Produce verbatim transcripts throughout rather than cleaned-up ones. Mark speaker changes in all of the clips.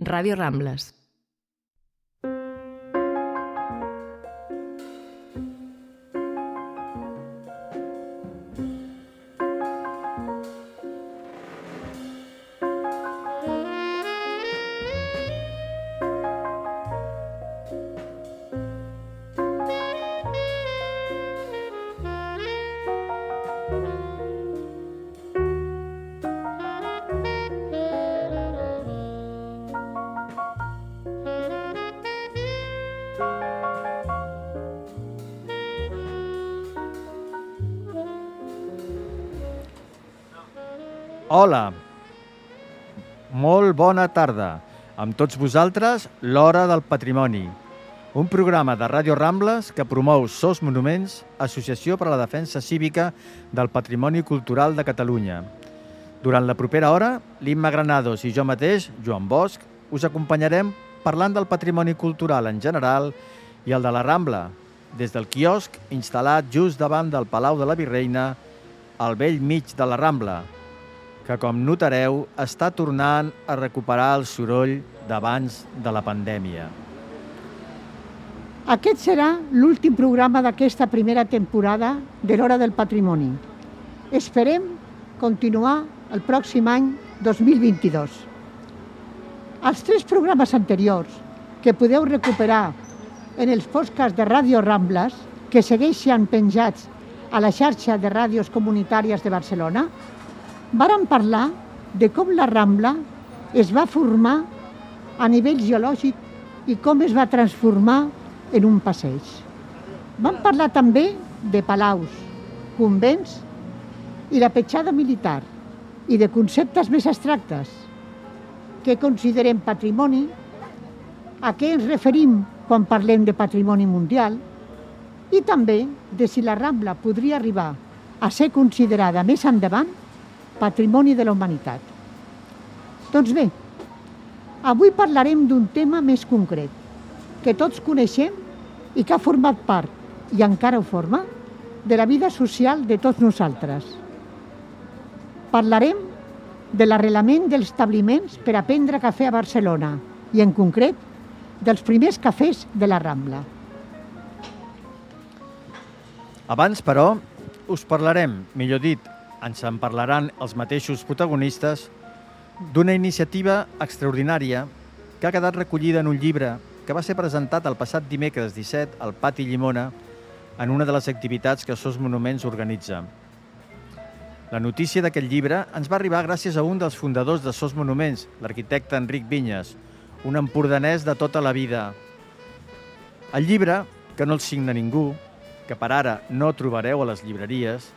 Speaker 1: Ràdio Rambles.
Speaker 2: Hola, molt bona tarda. Amb tots vosaltres, l'Hora del Patrimoni, un programa de Ràdio Rambles que promou Sos Monuments, Associació per a la Defensa Cívica del Patrimoni Cultural de Catalunya. Durant la propera hora, l'Imma Granados i jo mateix, Joan Bosch, us acompanyarem parlant del patrimoni cultural en general i el de la Rambla, des del quiosc instal·lat just davant del Palau de la Virreina, al bell mig de la Rambla, que, com notareu, està tornant a recuperar el soroll d'abans de la pandèmia.
Speaker 3: Aquest serà l'últim programa d'aquesta primera temporada de l'Hora del Patrimoni. Esperem continuar el pròxim any dos mil vint-i-dos. Els tres programes anteriors, que podeu recuperar en els podcasts de Ràdio Rambles, que segueixen penjats a la xarxa de ràdios comunitàries de Barcelona, vàrem parlar de com la Rambla es va formar a nivell geològic i com es va transformar en un passeig. Vam parlar també de palaus, convents i la petjada militar i de conceptes més abstractes que considerem patrimoni, a què ens referim quan parlem de patrimoni mundial i també de si la Rambla podria arribar a ser considerada més endavant patrimoni de la humanitat. Doncs bé, avui parlarem d'un tema més concret, que tots coneixem i que ha format part, i encara ho forma, de la vida social de tots nosaltres. Parlarem de l'arrelament dels establiments per a prendre cafè a Barcelona i, en concret, dels primers cafès de la Rambla.
Speaker 2: Abans, però, us parlarem, millor dit, ens en parlaran els mateixos protagonistes, d'una iniciativa extraordinària que ha quedat recollida en un llibre que va ser presentat el passat dimecres disset al Pati Llimona en una de les activitats que Sos Monuments organitza. La notícia d'aquest llibre ens va arribar gràcies a un dels fundadors de Sos Monuments, l'arquitecte Enric Vinyes, un empordanès de tota la vida. El llibre, que no el signa ningú, que per ara no trobareu a les llibreries,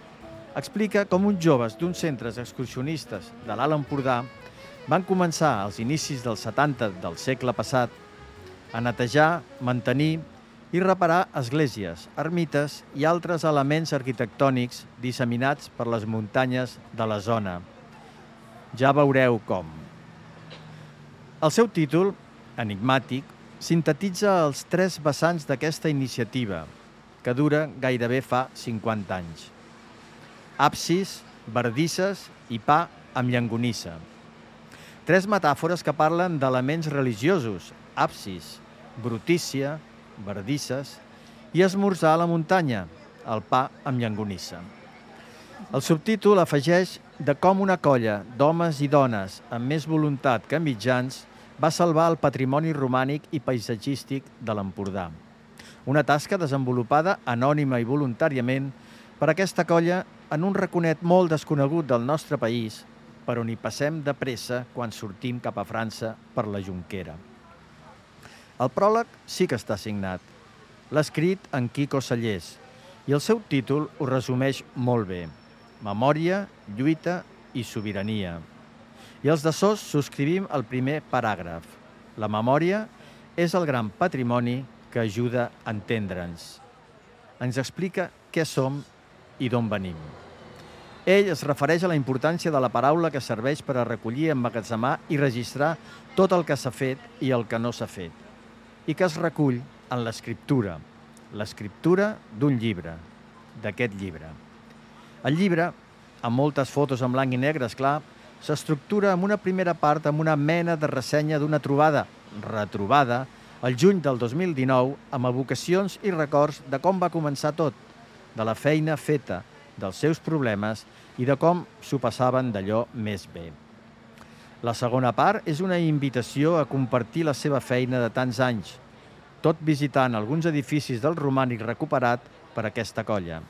Speaker 2: explica com uns joves d'uns centres excursionistes de l'Alt Empordà van començar als inicis dels setanta del segle passat a netejar, mantenir i reparar esglésies, ermites i altres elements arquitectònics disseminats per les muntanyes de la zona. Ja veureu com. El seu títol, enigmàtic, sintetitza els tres vessants d'aquesta iniciativa, que dura gairebé fa cinquanta anys. Absis, bardisses i pa amb llangonissa. Tres metàfores que parlen d'elements religiosos, absis, brutícia, bardisses, i esmorzar a la muntanya, el pa amb llangonissa. El subtítol afegeix de com una colla d'homes i dones amb més voluntat que mitjans va salvar el patrimoni romànic i paisatgístic de l'Empordà. Una tasca desenvolupada anònima i voluntàriament per aquesta colla en un raconet molt desconegut del nostre país, per on hi passem de pressa quan sortim cap a França per la Jonquera. El pròleg sí que està signat. L'ha escrit en Quico Sallés i el seu títol ho resumeix molt bé. Memòria, lluita i sobirania. I els de Sos subscrivim el primer paràgraf. La memòria és el gran patrimoni que ajuda a entendre'ns. Ens explica què som i d'on venim. Ell es refereix a la importància de la paraula que serveix per a recollir, emmagatzemar i registrar tot el que s'ha fet i el que no s'ha fet, i que es recull en l'escriptura, l'escriptura d'un llibre, d'aquest llibre. El llibre, amb moltes fotos en blanc i negre, esclar, s'estructura amb una primera part amb una mena de ressenya d'una trobada, retrobada, el juny del dos mil dinou, amb evocacions i records de com va començar tot, de la feina feta, dels seus problemes i de com s'ho passaven d'allò més bé. La segona part és una invitació a compartir la seva feina de tants anys, tot visitant alguns edificis del romànic recuperat per aquesta colla.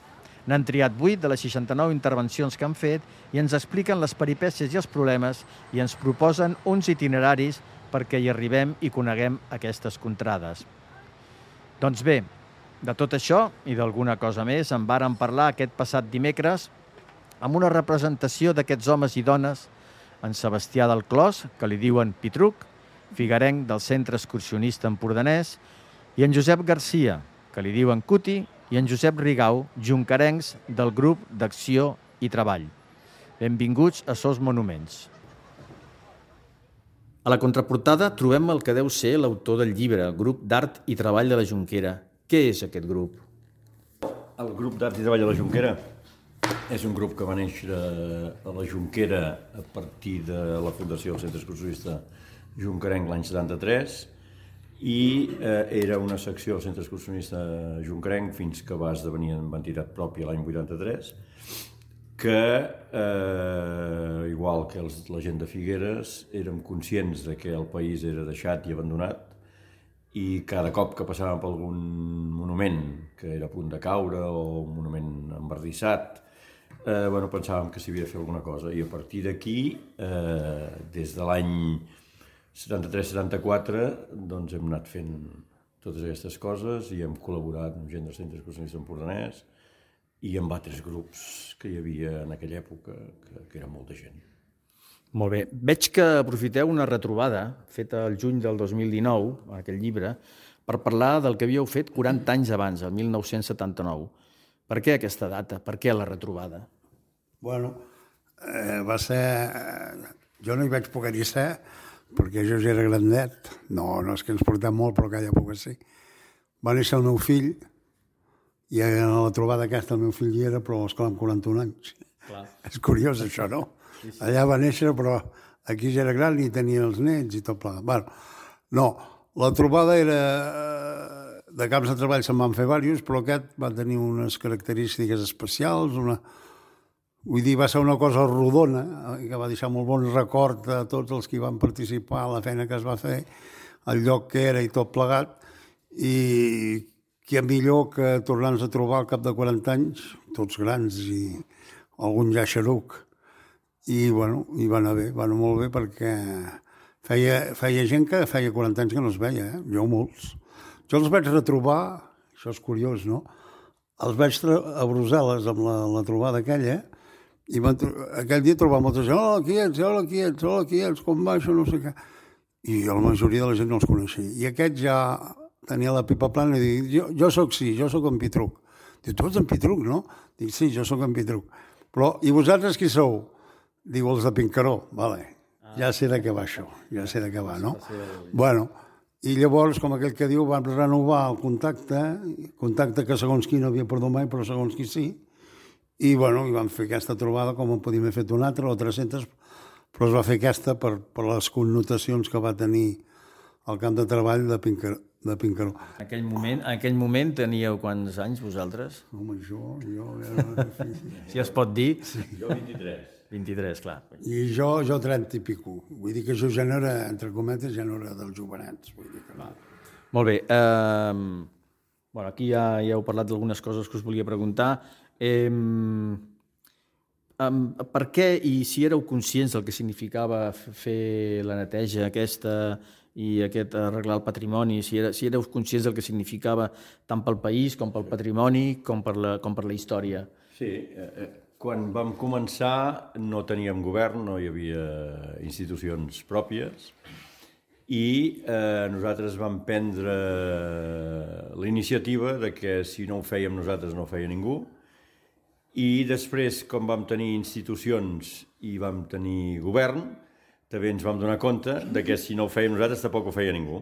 Speaker 2: N'han triat vuit de les seixanta-nou intervencions que han fet i ens expliquen les peripècies i els problemes i ens proposen uns itineraris perquè hi arribem i coneguem aquestes contrades. Doncs bé, de tot això i d'alguna cosa més en vàrem parlar aquest passat dimecres amb una representació d'aquests homes i dones, en Sebastià del Clos, que li diuen Pitruc, figarenc del Centre Excursionista Empordanès, i en Josep Garcia, que li diuen Cuti, i en Josep Rigau, juncarencs del grup d'Acció i Treball. Benvinguts a Sos Monuments. A la contraportada trobem el que deu ser l'autor del llibre, Grup d'Art i Treball de la Jonquera. Què és aquest grup?
Speaker 1: El Grup d'Art i Treball de la Jonquera és un grup que va néixer a la Jonquera a partir de la fundació del Centre Excursionista Jonquerenc l'any setanta-tres i eh, era una secció del Centre Excursionista Jonquerenc fins que va esdevenir en entitat pròpia l'any vuitanta-tres, que, eh, igual que els, la gent de Figueres, érem conscients de que el país era deixat i abandonat i cada cop que passàvem per algun monument que era a punt de caure o un monument embardissat, eh, bueno, pensàvem que s'hi havia de fer alguna cosa. I a partir d'aquí, eh, des de l'any setanta-tres setanta-quatre, doncs hem anat fent totes aquestes coses i hem col·laborat amb gent del Centre Excursionista Empordanès i amb altres grups que hi havia en aquella època, que, que era molta gent.
Speaker 2: Molt bé. Veig que aprofiteu una retrobada feta el juny del dos mil dinou, en aquell llibre, per parlar del que havíeu fet quaranta anys abans, el mil nou-cents setanta-nou. Per què aquesta data? Per què la retrobada?
Speaker 4: Bueno, eh, va ser... Jo no hi vaig poder-hi ser, perquè jo ja era grandet. No, no és que ens portem molt, però aquella època sí. Va néixer el meu fill, i a la trobada aquesta el meu fill hi era, però esclar, amb quaranta-un anys. Clar. És curiós, això, no? Sí, sí. Allà va néixer, però aquí ja era gran i tenia els nets i tot plegat. Bueno, no, la trobada era... De camps de treball se'n van fer diversos, però aquest va tenir unes característiques especials, una... vull dir, va ser una cosa rodona, que va deixar molt bon record a tots els que hi van participar, la feina que es va fer, el lloc que era i tot plegat, i que millor que tornar-nos a trobar al cap de quaranta anys, tots grans i algun ja xeruc. I, bueno, i va anar bé, va anar molt bé perquè feia, feia gent que feia quaranta anys que no es veia, eh? Jo molts. Jo els vaig retrobar, això és curiós, no? Els vaig a Brussel·les amb la, la trobada aquella, i van, aquell dia trobar molta gent, hola, qui ets, hola, qui ets, hola, qui ets, com va això, no sé què. I la majoria de la gent no els coneixia. I aquest ja tenia la pipa plana i dic, jo, jo soc sí, jo soc en Pitruc. Diu, tu ets en Pitruc, no? Dic, sí, jo soc en Pitruc. Però, i vosaltres qui sou? Diu, els de Pincaró, vale. Ja sé de què va això, ja sé de què va, no? Bueno, i llavors, com aquell que diu, vam renovar el contacte, contacte que segons qui no havia perdut mai, però segons qui sí, i, bueno, i vam fer aquesta trobada com en podíem haver fet una altra, o tres-centes, però es va fer aquesta per, per les connotacions que va tenir el camp de treball de Pincaró. De Pincaró.
Speaker 2: En aquell moment, en aquell moment teníeu quants anys vosaltres?
Speaker 4: Home, jo... jo era...
Speaker 2: si es pot dir.
Speaker 1: Sí. Jo vint-i-tres.
Speaker 2: vint-i-tres, clar.
Speaker 4: I jo, jo trenta i pico. Vull dir que jo ja no era, entre cometes, ja no era dels jovenets. Vull dir que no.
Speaker 2: Molt bé. Eh, bueno, aquí ja, ja heu parlat d'algunes coses que us volia preguntar. Eh, eh, per què i si éreu conscients del que significava fer la neteja aquesta i aquest arreglar el patrimoni, si, era, si éreu conscients del que significava tant pel país com pel patrimoni com per la, com per la història?
Speaker 1: Sí, eh, quan vam començar no teníem govern, no hi havia institucions pròpies i eh, nosaltres vam prendre la iniciativa de que si no ho fèiem nosaltres no ho feia ningú i després, com vam tenir institucions i vam tenir govern, també ens vam donar compte de que si no ho fèiem nosaltres tampoc ho feia ningú.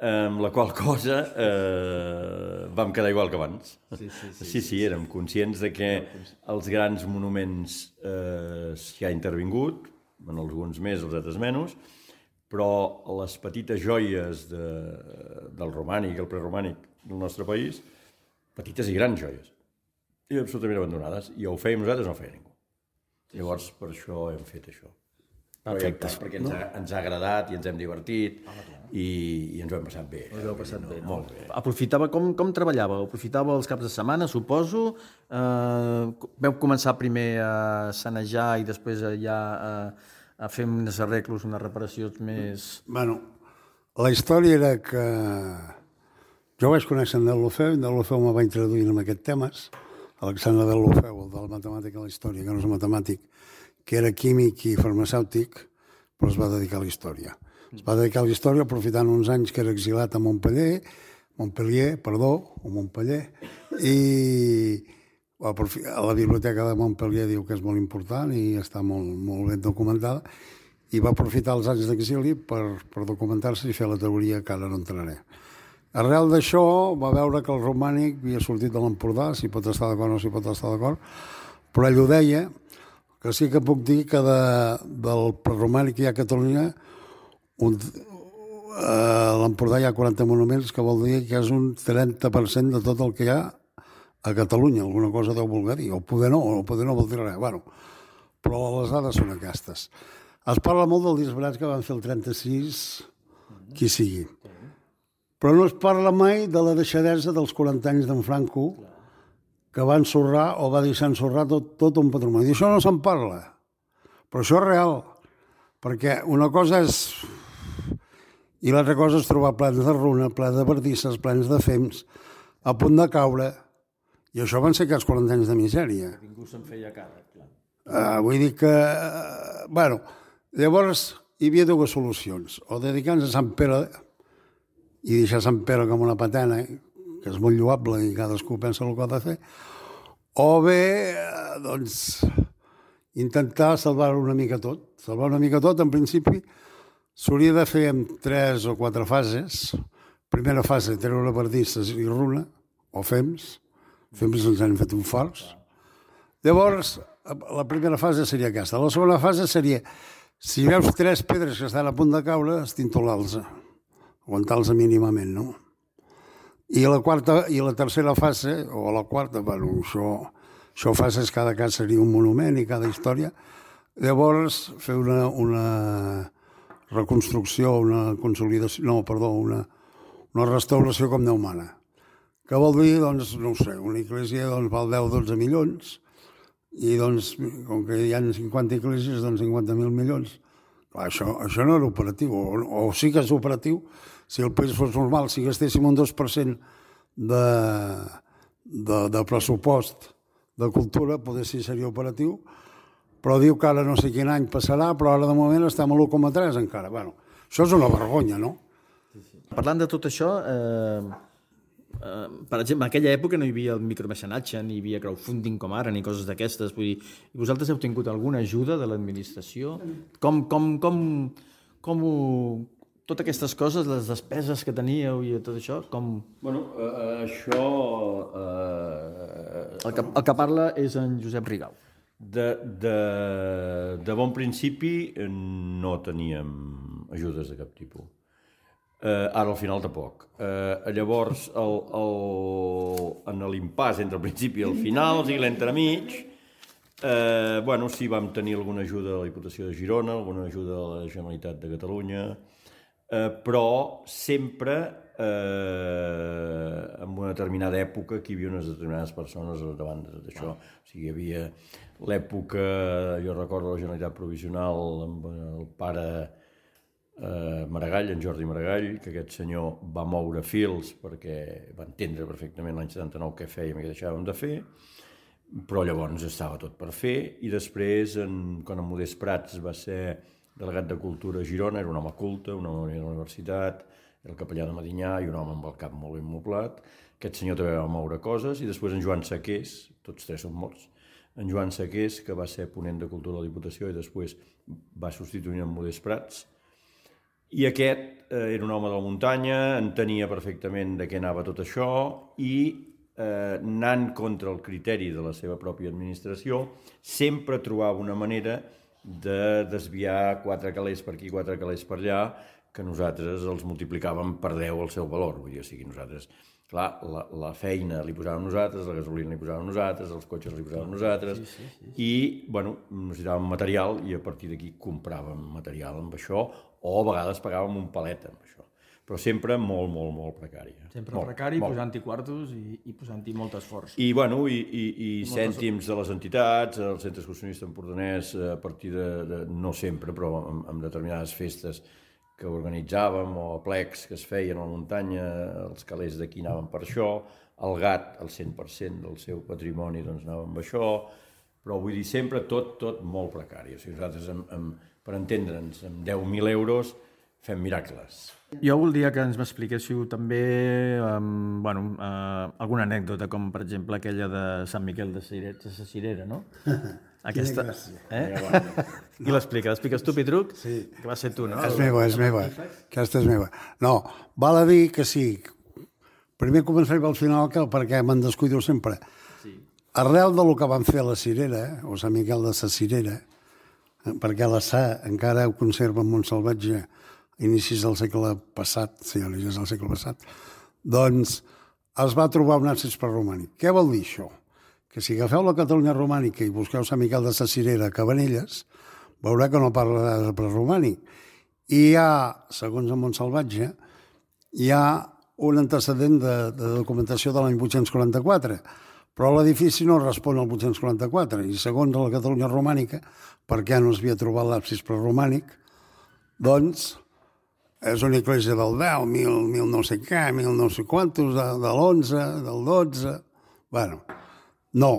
Speaker 1: Amb la qual cosa eh, vam quedar igual que abans. Sí, sí, sí, sí, sí, érem conscients de que els grans monuments eh, s'hi ha intervingut, en alguns més, els altres menys, però les petites joies de, del romànic i el preromànic del nostre país, petites i grans joies, i absolutament abandonades, i o ho fèiem nosaltres o no ho feia ningú. Llavors, per això hem fet això.
Speaker 2: Perfecte.
Speaker 1: Perquè ens ha, ens ha agradat i ens hem divertit i, i ens ho hem passat bé.
Speaker 2: Us heu passat bé, no?
Speaker 1: Molt bé.
Speaker 2: Aprofitava, com, com treballàveu? Aprofitava els caps de setmana, suposo? Eh, veu començar primer a sanejar i després ja a, a fer uns arreglos, unes reparacions més...
Speaker 4: Bueno, la història era que jo vaig conèixer en Deulofeu, en Deulofeu me va introduir en aquests temes, Alexandre Deulofeu, el de la matemàtica i la història, que no és matemàtic, que era químic i farmacèutic, però es va dedicar a la història. Es va dedicar a la història aprofitant uns anys que era exilat a Montpellier, Montpellier, perdó, o Montpellier, i a la biblioteca de Montpellier diu que és molt important i està molt, molt ben documentada, i va aprofitar els anys d'exili per, per documentar-se i fer la teoria que ara no entraré. Arrel d'això va veure que el romànic havia sortit de l'Empordà, si pot estar d'acord o no si pot estar d'acord, però ell ho deia, que sí que puc dir que de, del preromànic que hi ha a Catalunya, un, a l'Empordà hi ha quaranta monuments, que vol dir que és un trenta per cent de tot el que hi ha a Catalunya. Alguna cosa deu voler dir, o poder no, o poder no vol dir res. Bueno, però les dades són aquestes. Es parla molt del disbarats que van fer el trenta-sis, qui sigui. Però no es parla mai de la deixadesa dels quaranta anys d'en Franco, que va ensorrar o va deixar ensorrar tot, tot un patrimoni. I això no se'n parla. Però això és real. Perquè una cosa és... I l'altra cosa és trobar plans de runa, plans de bardisses, plans de fems, a punt de caure. I això van ser aquests quaranta anys de misèria.
Speaker 2: Ningú se'n feia càrrec, clar.
Speaker 4: Uh, vull dir que... Uh, bueno, llavors hi havia dues solucions. O dedicar-nos a Sant Pere i deixar Sant Pere com una patena, que és molt lloable i cadascú pensa el que ha de fer, o bé, doncs, intentar salvar-ho una mica tot. Salvar una mica tot, en principi, s'hauria de fer en tres o quatre fases. Primera fase, treure bardisses i runa, o fems. Fems ens han fet un fals. Llavors, la primera fase seria aquesta. La segona fase seria, si veus tres pedres que estan a punt de caure, estintolar-los, aguantar-los mínimament, no? I la quarta i la tercera fase, o la quarta, bueno, això, això fases, cada cas seria un monument i cada història. Llavors, fer una, una reconstrucció, una consolidació, no, perdó, una, una restauració com Déu mana. Que vol dir, doncs, no ho sé, una església doncs, val deu o dotze milions, i doncs, com que hi ha cinquanta esglésies, doncs cinquanta mil milions. Clar, això, això no era operatiu, o, o sí que és operatiu. Si el país fos normal, si gastéssim un dos per cent de, de, de pressupost de cultura, potser sí seria operatiu, però diu que ara no sé quin any passarà, però ara de moment estem a l'u coma tres encara. Bueno, això és una vergonya, no?
Speaker 2: Sí, sí. Parlant de tot això, eh, eh, per exemple, en aquella època no hi havia el micromecenatge, ni hi havia crowdfunding com ara, ni coses d'aquestes. Vull dir, vosaltres heu tingut alguna ajuda de l'administració? Com, com, com, com ho... Totes aquestes coses, les despeses que teníeu i tot això, com...
Speaker 1: Bueno, uh, això... Uh,
Speaker 2: el, que, el que parla és en Josep Rigau.
Speaker 1: De, de, de bon principi no teníem ajudes de cap tipus. Uh, ara al final tampoc. Uh, llavors, el, el, en l'impàs entre el principi i el final, o sigui, l'entremig, uh, bueno, sí, vam tenir alguna ajuda de la Diputació de Girona, alguna ajuda de la Generalitat de Catalunya, Uh, però sempre eh, en una determinada època que hi havia unes determinades persones davant d'això. O sigui, hi havia l'època, jo recordo la Generalitat Provisional amb el pare eh, Maragall, en Jordi Maragall, que aquest senyor va moure fils perquè va entendre perfectament l'any setanta-nou què fèiem i què deixàvem de fer, però llavors estava tot per fer, i després, en, quan en Modest Prats va ser delegat de Cultura a Girona, era un home culte, un home de la universitat, era el capellà de Medinyà i un home amb el cap molt ben moblat. Aquest senyor també va moure coses, i després en Joan Saqués, tots tres són morts, en Joan Saqués, que va ser ponent de Cultura de la Diputació i després va substituir en Modest Prats. I aquest eh, era un home de la muntanya, entenia perfectament de què anava tot això i eh, anant contra el criteri de la seva pròpia administració, sempre trobava una manera de desviar quatre calés per aquí, quatre calés per allà, que nosaltres els multiplicàvem per deu el seu valor. Vull dir, o sigui, nosaltres, clar, la, la feina li posàvem nosaltres, la gasolina li posàvem nosaltres, els cotxes li posàvem nosaltres, sí, sí, sí. I, bueno, necessitàvem material i a partir d'aquí compràvem material amb això, o a vegades pagàvem un palet amb això. Però sempre molt, molt, molt precari.
Speaker 2: Sempre molt, precari, posant-hi quartos i, i posant-hi molt esforç.
Speaker 1: I, bueno, i, i, i cèntims de les entitats, el Centre Excursionista Empordanès, a partir de, de no sempre, però amb, amb determinades festes que organitzàvem, o plecs que es feien a la muntanya, els calés d'aquí anaven per això, el gat, el cent per cent del seu patrimoni, doncs anava amb això, però vull dir, sempre tot, tot molt precari. O sigui, nosaltres, amb, amb, per entendre'ns, amb deu mil euros fem miracles.
Speaker 2: Jo voldria que ens m'expliquéssiu també um, bueno, uh, alguna anècdota, com per exemple aquella de Sant Miquel de sa Cirera, no? Aquesta... Eh? Qui l'explica? L'expliques tu, Pitruc?
Speaker 4: Sí.
Speaker 2: Que va ser tu, no?
Speaker 4: És meva, és meva. Aquesta és meva. No, val a dir que sí. Primer començaré pel final, que perquè me'n descuido sempre. Sí. Arrel del que van fer a la Cirera, o Sant Miquel de sa Cirera, perquè la Sa encara ho conserva en Montsalvatge, inicis del segle passat, sí, inicis del segle passat, doncs es va trobar un absis preromànic. Què vol dir això? Que si agafeu la Catalunya romànica i busqueu Sant Miquel de sa Cirera a Cabanelles, veureu que no parla de preromànic. I hi ha, segons en Montsalvatge, hi ha un antecedent de, de documentació de l'any vuit-cents quaranta-quatre, però l'edifici no respon al vuit-cents quaranta-quatre, i segons la Catalunya romànica, perquè no es havia trobat l'absis preromànic, doncs és una església del deu, mil, mil no sé què, mil no sé quantos, de, de l'onze, del dotze... Bueno, no.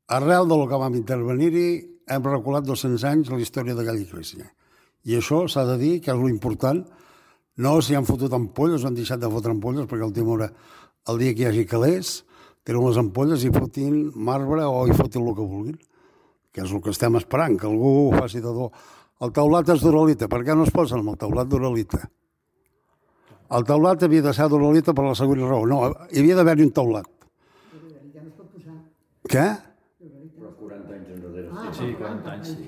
Speaker 4: Arrel del que vam intervenir-hi, hem reculat dos-cents anys la història d'aquella església. I això s'ha de dir que és l'important. No si han fotut ampolles o han deixat de fotre ampolles, perquè el tema el dia que hi hagi calés, tenen les ampolles i fotin marbre o hi fotin el que vulguin, que és el que estem esperant, que algú ho faci de do. El teulat és d'uralita. Per què no es posen amb el teulat d'uralita? El teulat havia de ser d'uralita per la següent raó. No, hi havia d'haver-hi un teulat. Ja no es pot posar. Què?
Speaker 1: Però quaranta anys enrere.
Speaker 2: Ah, sí, quaranta anys, sí.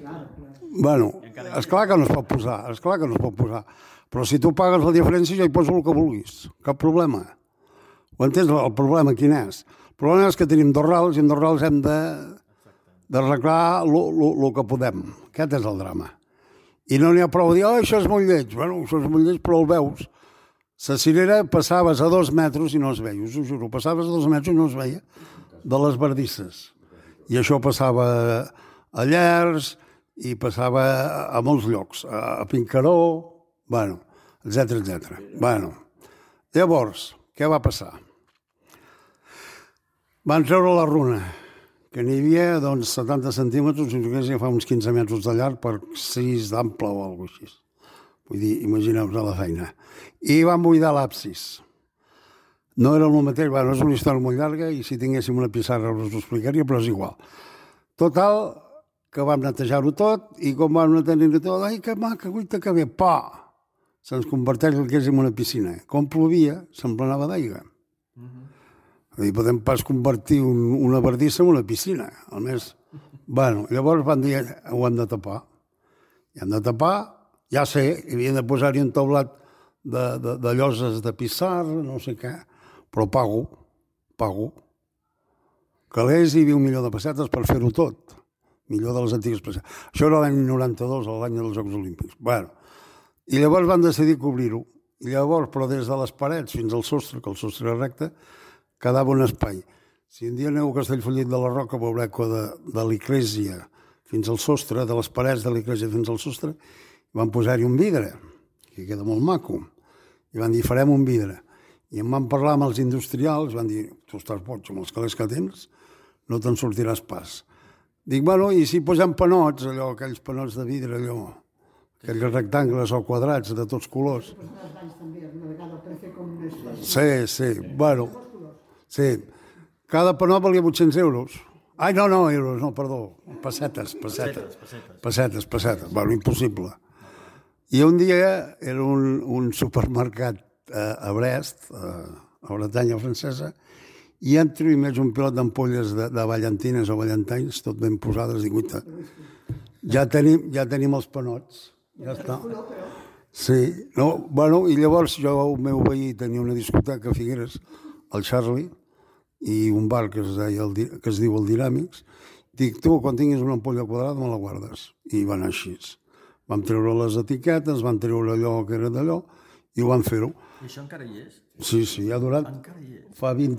Speaker 4: Bueno, esclar que no es pot posar, esclar que no es pot posar. Però si tu pagues la diferència, jo hi poso el que vulguis. Cap problema. Ho entens? El problema quin és? El problema és que tenim dos rals i en dos rals hem de d'arreglar el que podem. Aquest és el drama. I no n'hi ha prou de dir, oh, això és molt lleig. Bueno, això és molt lleig, però el veus. La Cirera passaves a dos metres i no es veia, us ho juro. Passaves a dos metres i no es veia de les bardisses. I això passava a Llers i passava a molts llocs, a Pincaró, bueno, etcètera, etcètera. Bueno, llavors, què va passar? Van treure la runa, que n'hi havia doncs, setanta centímetres, i fa uns quinze metres de llarg per sis d'ample o alguna cosa així. Vull dir, imagineu-vos la feina. I van buidar l'absis. No era el mateix, bueno, és una història molt llarga i si tinguéssim una pissarra us ho explicaria, però és igual. Total, que vam netejar-ho tot i com vam netejar-ho tot, ai, que maca, guaita que bé, pa! Se'ns converteix el que és en una piscina. Com plovia, s'emplenava d'aigua. I podem pas convertir un, una bardissa en una piscina. A més, bueno, llavors van dir, ho hem de tapar. I hem de tapar, ja sé, havien de posar-hi un teulat de, de, de lloses de pissarra, no sé què, però pago, pago. Calés hi havia un milió de pessetes per fer-ho tot. Millor de les antigues pessetes. Això era l'any noranta-dos, l'any dels Jocs Olímpics. Bueno, i llavors van decidir cobrir-ho. I llavors, però des de les parets fins al sostre, que el sostre era recte, quedava un espai. Si un dia aneu a Castellfollit de la Roca, veureu que de, de l'església fins al sostre, de les parets de l'església fins al sostre, van posar-hi un vidre, que queda molt maco. I van dir, farem un vidre. I em van parlar amb els industrials, van dir, tu estàs boig, amb els calés que tens, no te'n sortiràs pas. Dic, bueno, i si posem panots, allò, aquells panots de vidre, allò, aquells rectangles o quadrats de tots colors. Sí, sí, bueno... Sí, cada panot valia vuit-cents euros. Ai, no, no, euros, no, perdó, pessetes, pessetes, pessetes, pessetes, bueno, impossible. I un dia era un, un supermercat eh, a Brest, eh, a Bretanya francesa, i entro i veig un pilot d'ampolles de, de ballantines o ballantines, tot ben posades, dic, uita. Ja tenim, ja tenim els panots. Ja està. Sí, no, bueno, i llavors jo, el meu veí, tenia una discoteca a Figueres, el Charlie, i un bar que es, deia el, que es diu el Dinàmics. Dic, tu, quan tinguis una ampolla quadrada, me la guardes. I va anar així. Vam treure les etiquetes, van treure allò que era d'allò, i ho van fer-ho.
Speaker 2: I això encara hi és?
Speaker 4: Sí, sí, ha durat...
Speaker 2: Encara hi és?
Speaker 4: Fa vint...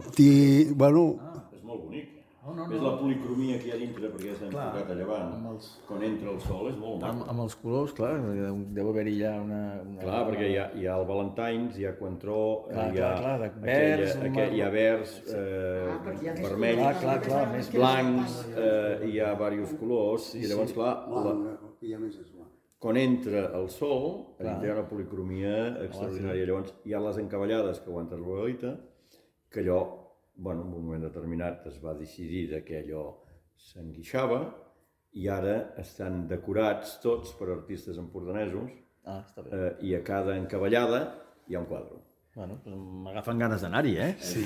Speaker 4: Bueno...
Speaker 1: Ah, és molt bonic. No, no, no. És la policromia que hi ha dintre, perquè s'ha enfocat a llevant. Els... Quan entra el sol és molt maco.
Speaker 2: Amb, amb els colors, clar, deu haver-hi ja una... una...
Speaker 1: Clar, perquè hi ha, hi ha el Valentines, hi ha Coentró,
Speaker 2: clar,
Speaker 1: hi ha...
Speaker 2: Clar, clar, vers...
Speaker 1: Aquella, aquell, hi ha vers, eh, ah, vermells,
Speaker 2: clar, clar, clar, més
Speaker 1: blancs, eh, hi ha diversos colors, sí, i llavors, clar... La... Quan entra el sol, hi ha una policromia extraordinària. Llavors, hi ha les encavallades que aguanten la boita, que allò... Bueno, en un moment determinat es va decidir que allò s'enguixava i ara estan decorats tots per artistes empordanesos
Speaker 2: ah, està bé.
Speaker 1: eh, i a cada encavallada hi ha un quadre.
Speaker 2: Bueno, doncs m'agafen ganes d'anar-hi, eh?
Speaker 1: Sí.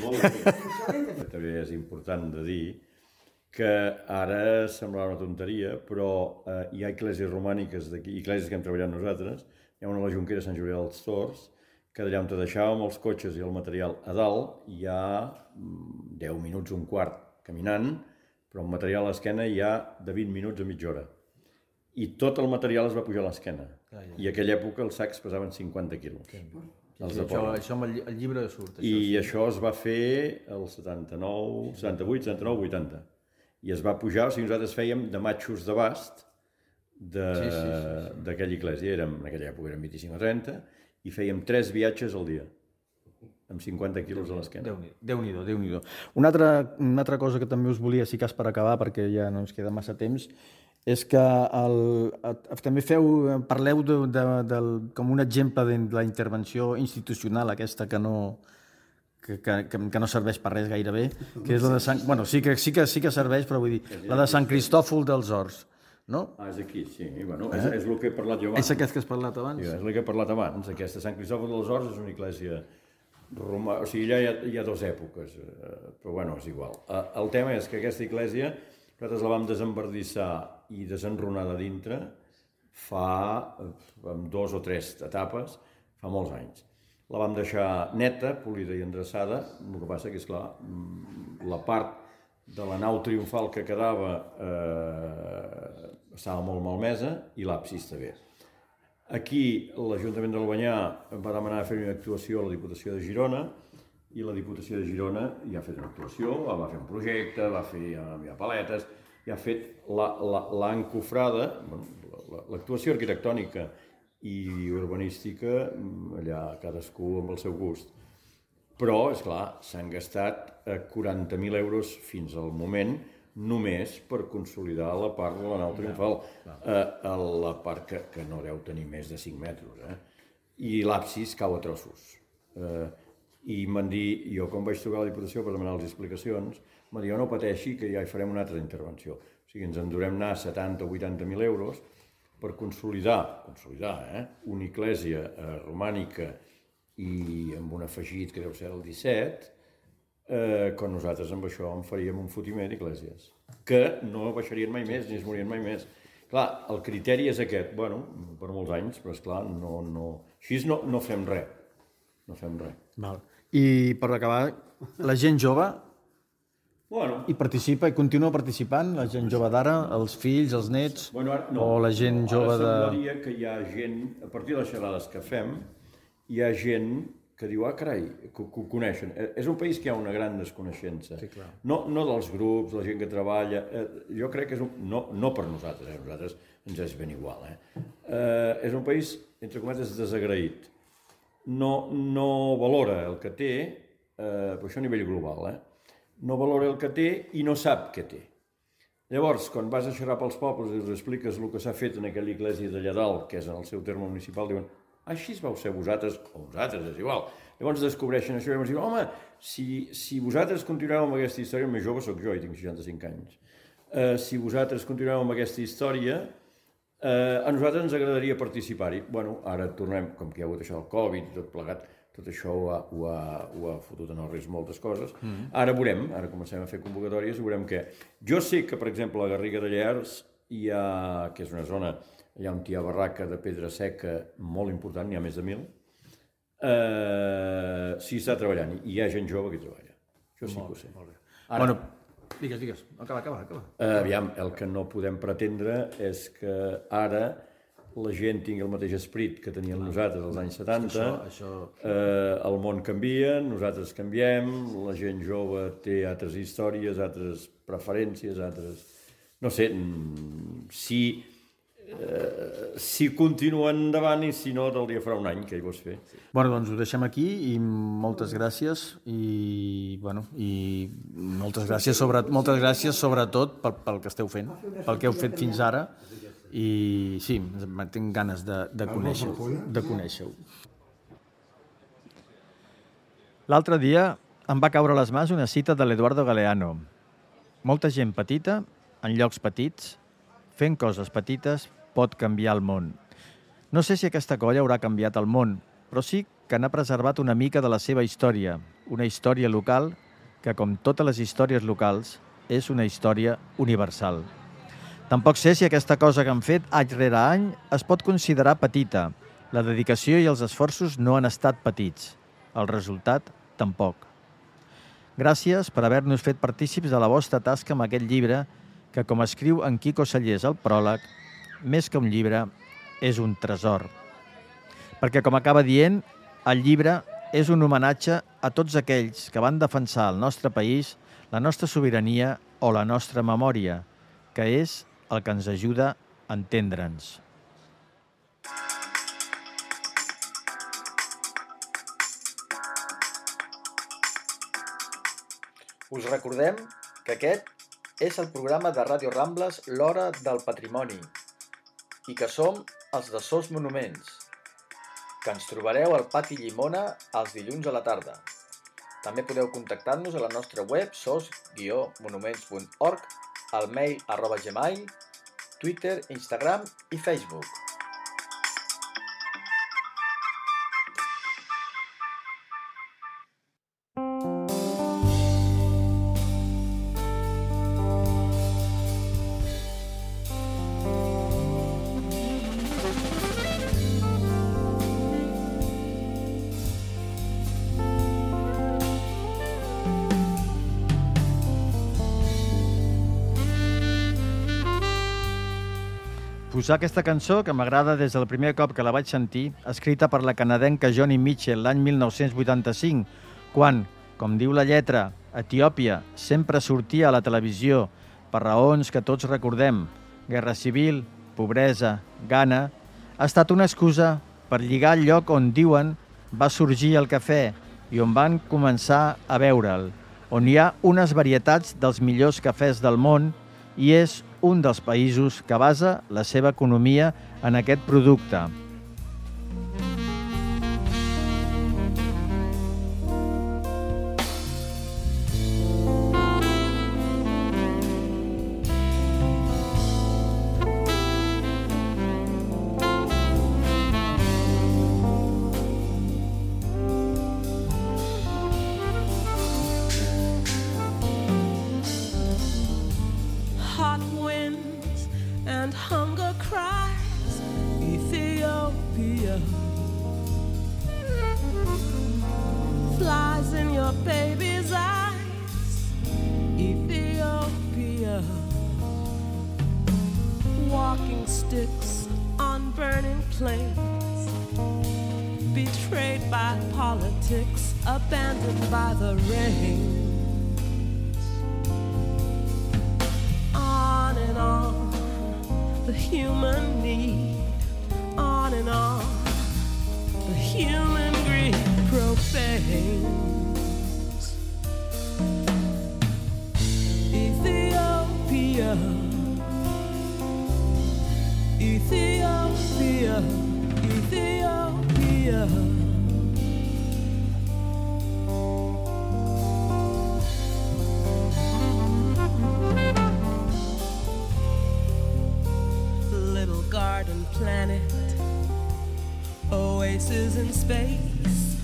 Speaker 1: També és important de dir que ara semblarà una tonteria, però eh, hi ha esglésies romàniques d'aquí, esglésies que hem treballat nosaltres, hi ha una a la Jonquera Sant Julià dels Tors, que d'allà on te deixàvem els cotxes i el material a dalt hi ha deu minuts, un quart caminant, però el material a l'esquena hi ha de vint minuts a mitja hora. I tot el material es va pujar a l'esquena. Ah, ja. I a aquella època els sacs pesaven cinquanta quilos. Sí,
Speaker 2: sí, això, això amb el, el llibre surt. Això,
Speaker 1: I
Speaker 2: sí.
Speaker 1: Això es va fer el setanta-nou, setanta-vuit, setanta-nou, vuitanta. I es va pujar, o sigui, nosaltres fèiem de matxos d'abast d'aquella sí, sí, sí, sí. església. Érem, en aquella època eren vint-i-cinc o trenta, i fèiem tres viatges al dia, amb cinquanta quilos a l'esquena.
Speaker 2: Déu-n'hi-do, Déu-n'hi-do. Una altra, una altra cosa que també us volia, si cas per acabar, perquè ja no ens queda massa temps, és que el, també feu, parleu de, de, de, com un exemple de la intervenció institucional aquesta que no, que, que, que no serveix per res gairebé, que és la de Sant... Bueno, sí que, sí que, sí que serveix, però vull dir, la de Sant Cristòfol dels Horts. No?
Speaker 1: Ah, és aquí, sí. Bueno, eh? és, és el que he parlat jo abans.
Speaker 2: És aquest que has parlat abans?
Speaker 1: Sí, és el que he parlat abans. Aquesta Sant Cristòfol dels Horts és una església romà... O sigui, allà hi ha, hi ha dues èpoques, eh, però bueno, és igual. Eh, el tema és que aquesta església nosaltres la vam desembardissar i desenrunar de dintre fa, amb dos o tres etapes, fa molts anys. La vam deixar neta, polida i endreçada, el que passa que, esclar, la part de la nau triomfal que quedava eh, estava molt malmesa i l'absis també. Aquí l'Ajuntament d'Albanyà va demanar fer una actuació a la Diputació de Girona i la Diputació de Girona ja ha fet una actuació, va fer un projecte, va fer ja, ja paletes, ja ha fet l'ha encofrada, bueno, l'actuació arquitectònica i urbanística, allà cadascú amb el seu gust. Però, esclar, s'han gastat quaranta mil euros fins al moment només per consolidar la part de la nau triomfal, eh, la part que, que no deu tenir més de cinc metres. Eh? I l'absis cau a trossos. Eh, I m'han dit, jo quan vaig trucar a la Diputació per demanar les explicacions, m'han dit, no pateixi que ja hi farem una altra intervenció. O sigui, ens endurem anar setanta o vuitanta mil euros per consolidar, consolidar, eh? una església eh, romànica i amb un afegit que deu ser el disset, eh, quan nosaltres amb això en faríem un fotimer d'esglésies, que no baixarien mai més, ni es morien mai més. Clar, el criteri és aquest, bueno, per molts anys, però esclar, no, no... així no, no fem res, no fem res.
Speaker 2: Val. I per acabar, la gent jove
Speaker 1: bueno,
Speaker 2: hi participa i continua participant, la gent jove d'ara, els fills, els nets,
Speaker 1: bueno, ara, no,
Speaker 2: o la gent
Speaker 1: no,
Speaker 2: jove de...
Speaker 1: Ara semblaria que hi ha gent, a partir de les xerrades que fem, hi ha gent que diu, ah, carai, que ho coneixen. És un país que hi ha una gran desconeixença. Sí, clar. No, no dels grups, la gent que treballa. Eh, jo crec que és un... No, no per nosaltres, eh? Nosaltres ens és ben igual. Eh? Eh, és un país, entre cometes, desagraït. No, no valora el que té, eh, per això a nivell global, eh? No valora el que té i no sap què té. Llavors, quan vas a xerrar pels pobles i els expliques el que s'ha fet en aquella església d'allà dalt, que és en el seu terme municipal, diuen, així vau ser vosaltres, o vosaltres, és igual. Llavors descobreixen això i llavors diuen, home, si, si vosaltres continueu amb aquesta història, el més jove sóc jo i tinc seixanta-cinc anys, uh, si vosaltres continueu amb aquesta història, uh, a nosaltres ens agradaria participar-hi. Bueno, ara tornem, com que hi ha hagut això del Covid i tot plegat, tot això ho ha, ho ha, ho ha fotut en el risc moltes coses. Mm-hmm. Ara veurem, ara comencem a fer convocatòries i veurem què. Jo sé que, per exemple, a Garriga de Llers hi ha, que és una zona, hi ha un tia barraca de pedra seca molt important, n'hi ha més de mil. Uh, sí, està treballant, i hi ha gent jove que treballa. Això sí que ho sé.
Speaker 2: Molt bé.
Speaker 1: Ara,
Speaker 2: Bueno, digues, digues. Acaba, acaba, acaba.
Speaker 1: uh, aviam, el que no podem pretendre és que ara la gent tingui el mateix esperit que teníem nosaltres als anys setanta,
Speaker 2: Això, això...
Speaker 1: Eh, el món canvia, nosaltres canviem, la gent jove té altres històries, altres preferències, altres... No sé, si, eh, si continuen endavant i si no, del dia farà un any, que hi vols fer.
Speaker 2: Bueno, doncs ho deixem aquí i moltes gràcies i, bueno, i moltes gràcies, sobre, moltes gràcies sobretot pel, pel que esteu fent, pel que heu fet fins ara. I sí, tinc ganes de, de conèixer-ho. De conèixer-ho. L'altre dia em va caure a les mans una cita de l'Eduardo Galeano. Molta gent petita, en llocs petits, fent coses petites, pot canviar el món. No sé si aquesta colla haurà canviat el món, però sí que n'ha preservat una mica de la seva història, una història local que, com totes les històries locals, és una història universal. Tampoc sé si aquesta cosa que han fet any rere any es pot considerar petita. La dedicació i els esforços no han estat petits. El resultat, tampoc. Gràcies per haver-nos fet partícips de la vostra tasca amb aquest llibre que, com escriu en Quico Sallés al pròleg, més que un llibre, és un tresor. Perquè, com acaba dient, el llibre és un homenatge a tots aquells que van defensar el nostre país, la nostra sobirania o la nostra memòria, que és el que ens ajuda a entendre'ns. Us recordem que aquest és el programa de Ràdio Rambles L'Hora del Patrimoni i que som els de Sos Monuments, que ens trobareu al Pati Llimona els dilluns a la tarda. També podeu contactar-nos a la nostra web sos guió monuments punt org, al mail arroba gmail, Twitter, Instagram i Facebook. Posar aquesta cançó, que m'agrada des del primer cop que la vaig sentir, escrita per la canadenca Joni Mitchell l'any mil nou-cents vuitanta-cinc, quan, com diu la lletra, Etiòpia sempre sortia a la televisió per raons que tots recordem, guerra civil, pobresa, gana, ha estat una excusa per lligar el lloc on, diuen, va sorgir el cafè i on van començar a beure'l, on hi ha unes varietats dels millors cafès del món i és un dels països que basa la seva economia en aquest producte. Abandoned by the rain. On and on, the human need. On and on, the human greed profanes. Ethiopia, Ethiopia, Ethiopia. Planet, oasis in space.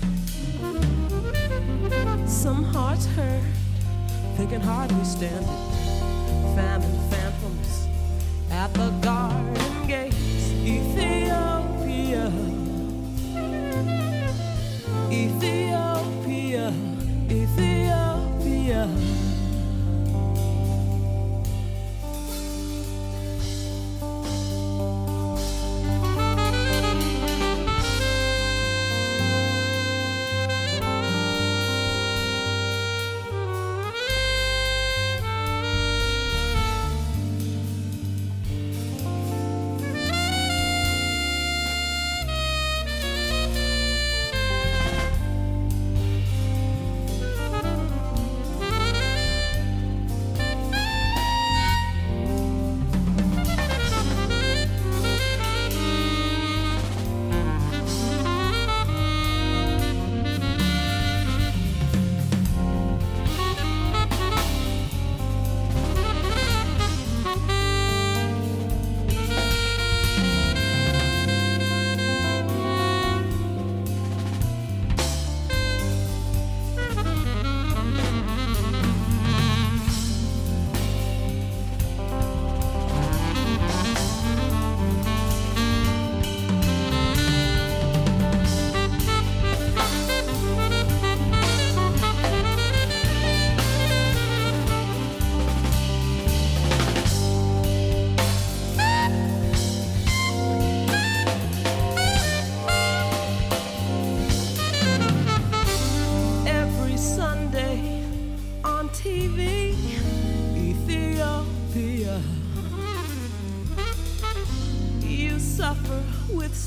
Speaker 2: Some hearts hurt, they can hardly stand it. Famine, phantoms,
Speaker 5: at the garden gates. Ethiopia, Ethiopia, Ethiopia.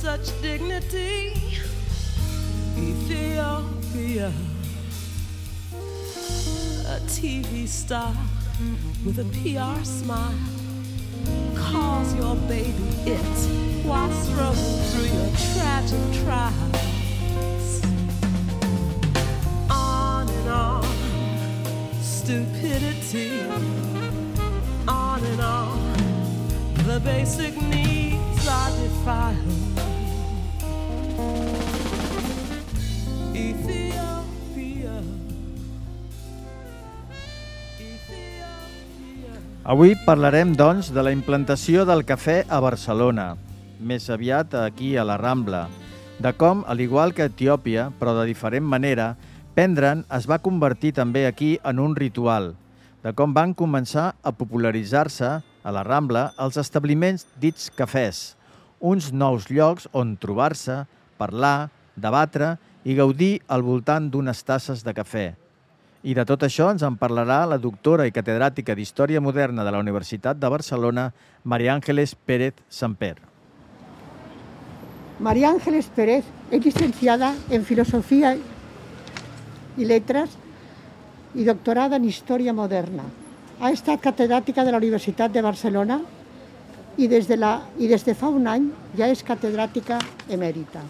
Speaker 5: Such dignity, Ethiopia, a T V star with a P R smile calls your baby it while struggling through your tragic trials. On and on, stupidity, on and on, the basic needs are defiled.
Speaker 2: Avui parlarem, doncs, de la implantació del cafè a Barcelona, més aviat aquí a la Rambla, de com, al igual que a Etiòpia, però de diferent manera, prendre'n es va convertir també aquí en un ritual, de com van començar a popularitzar-se a la Rambla els establiments dits cafès, uns nous llocs on trobar-se, parlar, debatre i gaudir al voltant d'unes tasses de cafè. I de tot això ens en parlarà la doctora i catedràtica d'Història Moderna de la Universitat de Barcelona, María Ángeles Pérez Samper.
Speaker 3: María Ángeles Pérez es licenciada en Filosofía y Letras y doctorada en Historia Moderna. Ha estat catedràtica de la Universitat de Barcelona i des de, la, i des de fa un any ja és catedràtica emèrita.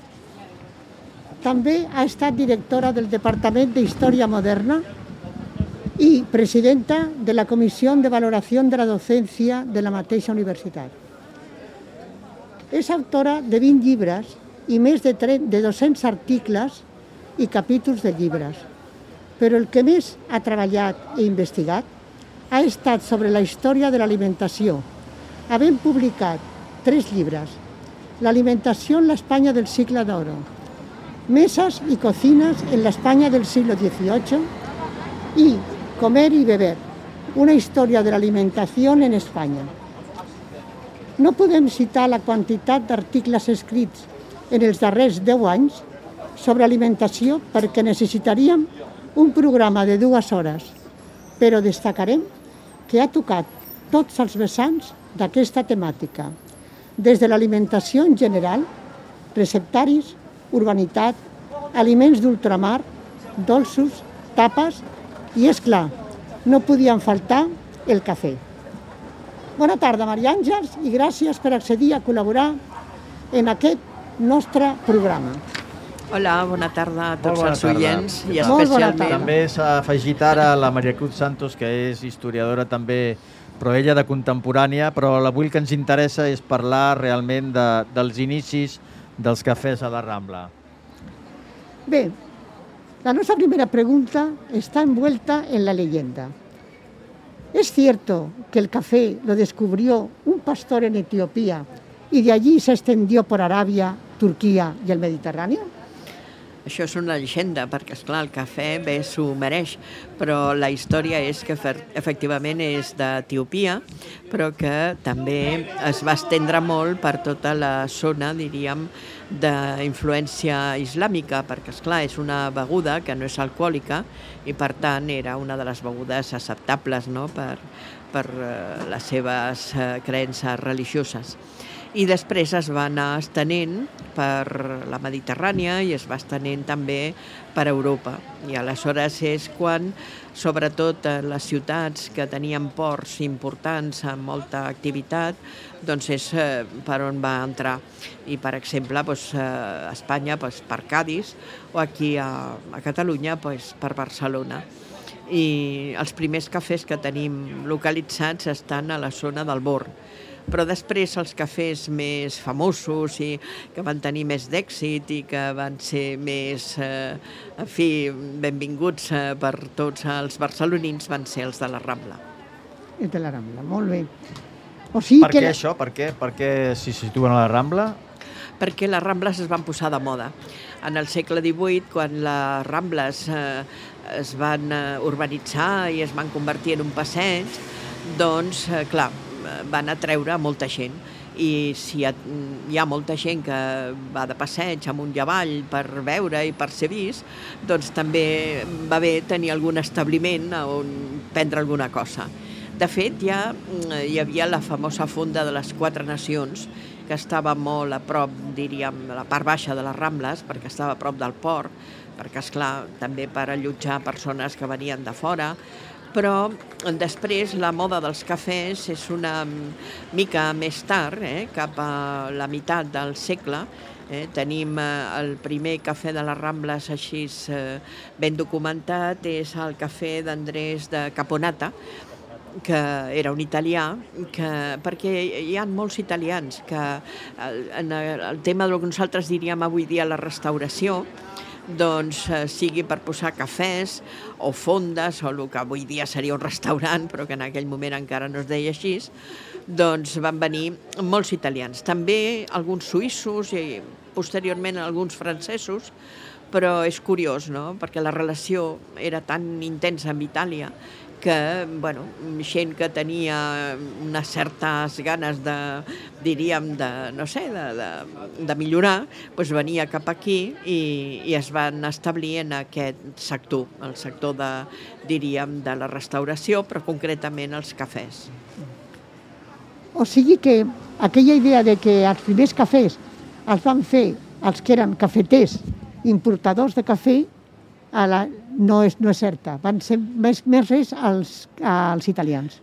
Speaker 3: També ha estat directora del Departament de Història Moderna i presidenta de la Comissió de Valoració de la Docència de la mateixa universitat. És autora de vint llibres i més de, de dos-cents articles i capítols de llibres, però el que més ha treballat i investigat ha estat sobre la història de l'alimentació, havent publicat tres llibres: L'alimentació en l'Espanya del siglo d'oro, Mesas y cocinas en la España del siglo dieciocho y Comer y beber, una historia de la alimentación en España. No podem citar la quantitat d'articles escrits en els darrers deu anys sobre alimentació perquè necessitaríem un programa de dues hores, però destacarem que ha tocat tots els vessants d'aquesta temàtica, des de l'alimentació en general, receptaris, urbanitat, aliments d'ultramar, dolços, tapes i, és clar, no podien faltar el cafè. Bona tarda, Maria Àngels, i gràcies per accedir a col·laborar en aquest nostre programa.
Speaker 6: Hola, bona tarda a tots els oients i
Speaker 3: especialment...
Speaker 2: També s'ha afegit ara la Maria Cruz Santos, que és historiadora també, però ella de contemporània, però avui el que ens interessa és parlar realment de, dels inicis dels cafès a la Rambla.
Speaker 3: Bé, la nostra primera pregunta està envuelta en la leyenda. Es cierto que el café lo descubrió un pastor en Etiopía y de allí se extendió por Aràbia, Turquia i el Mediterrani?
Speaker 6: Això és una llegenda, perquè, esclar, el cafè bé s'ho mereix, però la història és que efectivament és d'Etiopia, però que també es va estendre molt per tota la zona, diríem, d'influència islàmica, perquè, esclar, és una beguda que no és alcohòlica i, per tant, era una de les begudes acceptables, no?, per, per les seves creences religioses. I després es va anar estenent per la Mediterrània i es va estenent també per Europa. I aleshores és quan, sobretot en les ciutats que tenien ports importants amb molta activitat, doncs és per on va entrar. I, per exemple, a Espanya per Cadis o aquí a Catalunya per Barcelona. I els primers cafès que tenim localitzats estan a la zona del Born. Però després els cafès més famosos i que van tenir més d'èxit i que van ser més, eh, en fi, benvinguts eh, per tots els barcelonins van ser els de la Rambla.
Speaker 3: Els de la Rambla, molt bé. O sigui
Speaker 2: per
Speaker 3: que
Speaker 2: què
Speaker 3: la...
Speaker 2: això? Per què, per què s'hi situen a la Rambla?
Speaker 6: Perquè les Rambles es van posar de moda. En el segle divuit, quan les Rambles eh, es van urbanitzar i es van convertir en un passeig, doncs, eh, clar, van atreure molta gent. I si hi ha molta gent que va de passeig amunt i avall per veure i per ser vist, doncs també va bé tenir algun establiment on prendre alguna cosa. De fet, ja hi havia la famosa fonda de les Quatre Nacions, que estava molt a prop, diríem, a la part baixa de les Rambles, perquè estava a prop del port, perquè, esclar, també per allotjar persones que venien de fora. Però després la moda dels cafès és una mica més tard, eh, cap a la meitat del segle. Eh, tenim eh, el primer cafè de les Rambles així eh, ben documentat, és el cafè d'Andrés de Caponata, que era un italià, que, perquè hi ha molts italians que en el tema del que nosaltres diríem avui dia la restauració, doncs eh, sigui per posar cafès o fondes o el que avui dia seria un restaurant, però que en aquell moment encara no es deia així, doncs van venir molts italians. També alguns suïssos i posteriorment alguns francesos, però és curiós, no?, perquè la relació era tan intensa amb Itàlia que, bueno, gent que tenia unes certes ganes de, diríem, de, no sé, de, de, de millorar, doncs venia cap aquí i, i es van establir en aquest sector, el sector de, diríem, de la restauració, però concretament els cafès.
Speaker 3: O sigui que aquella idea de que els primers cafès els van fer els que eren cafeters, importadors de cafè, a la, no, és, no és certa. Van ser més, més res als, als italians.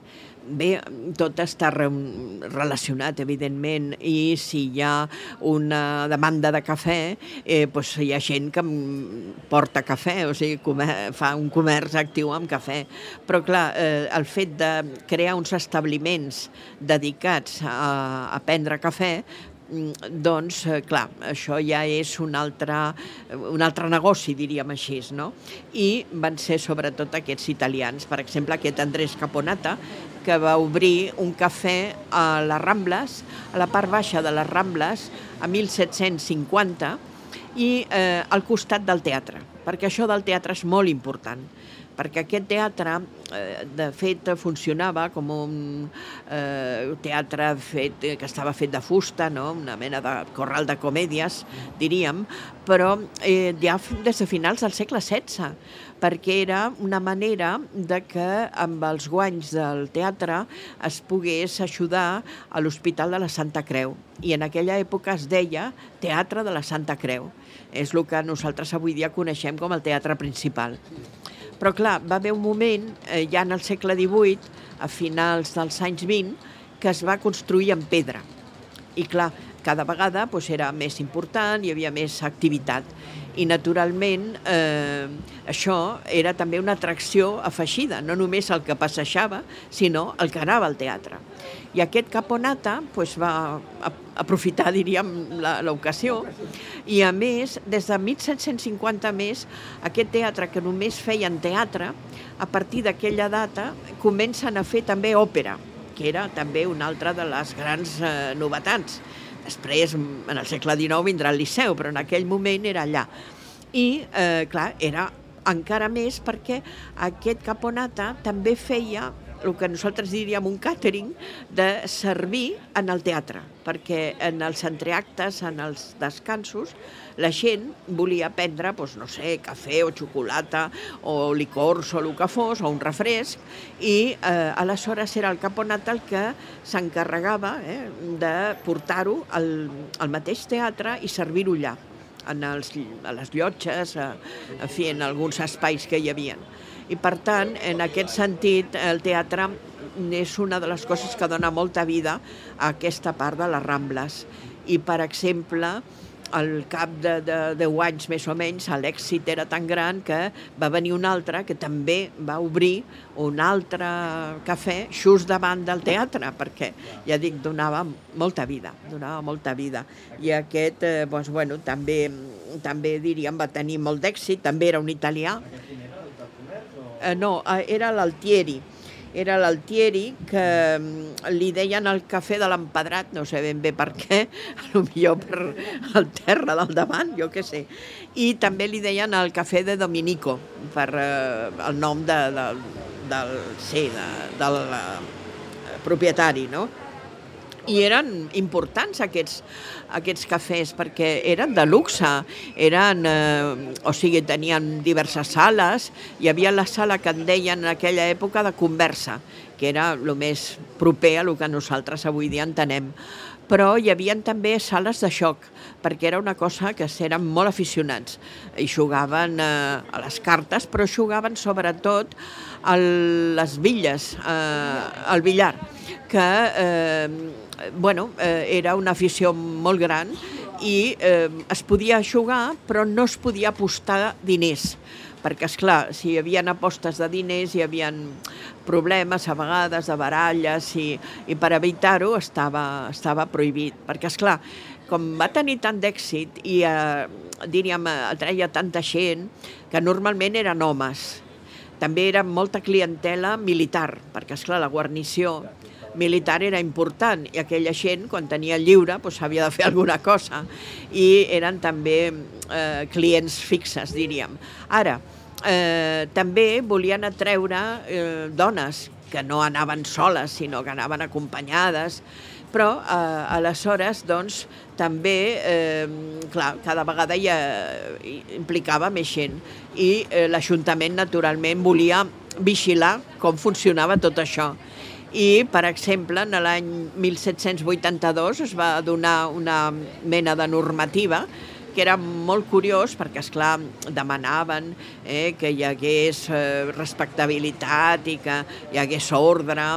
Speaker 6: Bé, tot està re relacionat, evidentment, i si hi ha una demanda de cafè, eh, doncs hi ha gent que porta cafè, o sigui, fa un comerç actiu amb cafè. Però, clar, eh, el fet de crear uns establiments dedicats a, a prendre cafè, doncs, clar, això ja és un altre, un altre negoci, diríem així, no? I van ser sobretot aquests italians, per exemple, aquest Andrés Caponata, que va obrir un cafè a les Rambles, a la part baixa de les Rambles, a mil set-cents cinquanta, i eh, al costat del teatre, perquè això del teatre és molt important, perquè aquest teatre, eh, de fet, funcionava com un eh, teatre fet, que estava fet de fusta, no?, una mena de corral de comèdies, diríem, però eh, ja des de finals del segle setze, perquè era una manera de que amb els guanys del teatre es pogués ajudar a l'Hospital de la Santa Creu. I en aquella època es deia Teatre de la Santa Creu. És el que nosaltres avui dia coneixem com el teatre principal. Però, clar, va haver un moment, eh, ja en el segle divuit, a finals dels anys vint, que es va construir en pedra. I, clar, cada vegada doncs, era més important, hi havia més activitat. I, naturalment, eh, això era també una atracció afegida, no només el que passejava, sinó el que anava al teatre. I aquest Caponata doncs, va aprofitar, diríem, l'ocasió, i a més, des de mil set-cents cinquanta més, aquest teatre que només feien teatre, a partir d'aquella data comencen a fer també òpera, que era també una altra de les grans eh, novetats. Després, en el segle dinou, vindrà al Liceu, però en aquell moment era allà. I, eh, clar, era encara més perquè aquest Caponata també feia el que nosaltres diríem un càtering de servir en el teatre, perquè en els entreactes, en els descansos, la gent volia prendre, doncs, no sé, cafè o xocolata o licors o el que fos, o un refresc, i eh, aleshores era el Caponata el que s'encarregava eh, de portar-ho al, al mateix teatre i servir-ho allà, en els, a les llotges, a, en fi, en alguns espais que hi havia. I, per tant, en aquest sentit, el teatre és una de les coses que dona molta vida a aquesta part de les Rambles. I, per exemple, al cap de, de deu anys més o menys, l'èxit era tan gran que va venir un altre que també va obrir un altre cafè just davant del teatre, perquè, ja dic, donava molta vida, donava molta vida. I aquest, eh, doncs, bueno, també, també diríem, va tenir molt d'èxit, també era un italià. Eh, no, era l'Altieri. Era l'Altieri que li deien el cafè de l'Empedrat, no sé ben bé per què, potser per el terra del davant, jo què sé. I també li deien el cafè de Dominico, per eh, el nom de, de, del, sí, de, del eh, propietari, no? I eren importants aquests, aquests cafès perquè eren de luxe, eren, eh, o sigui, tenien diverses sales, hi havia la sala que en deien en aquella època de conversa, que era el més proper a el que nosaltres avui dia entenem. Però hi havia també sales de joc, perquè era una cosa que eren molt aficionats. I jugaven eh, a les cartes, però jugaven sobretot a les billes, eh, al billar, que eh, bueno, eh, era una afició molt gran i eh, es podia jugar, però no es podia apostar diners, perquè, esclar, si hi havia apostes de diners hi havia problemes a vegades de baralles i, i per evitar-ho estava, estava prohibit, perquè, esclar, com va tenir tant d'èxit i eh, diríem, atreia tanta gent que normalment eren homes. També era molta clientela militar, perquè, esclar, la guarnició militar era important i aquella gent, quan tenia lliure, doncs havia de fer alguna cosa i eren també eh, clients fixes, diríem. Ara, eh, també volien atreure eh, dones que no anaven soles, sinó que anaven acompanyades, però eh, aleshores, doncs, també, eh, clar, cada vegada ja implicava més gent i eh, l'Ajuntament, naturalment, volia vigilar com funcionava tot això. I, per exemple, en l'any mil set-cents vuitanta-dos es va donar una mena de normativa que era molt curiós perquè, esclar, demanaven eh, que hi hagués eh, respectabilitat i que hi hagués ordre,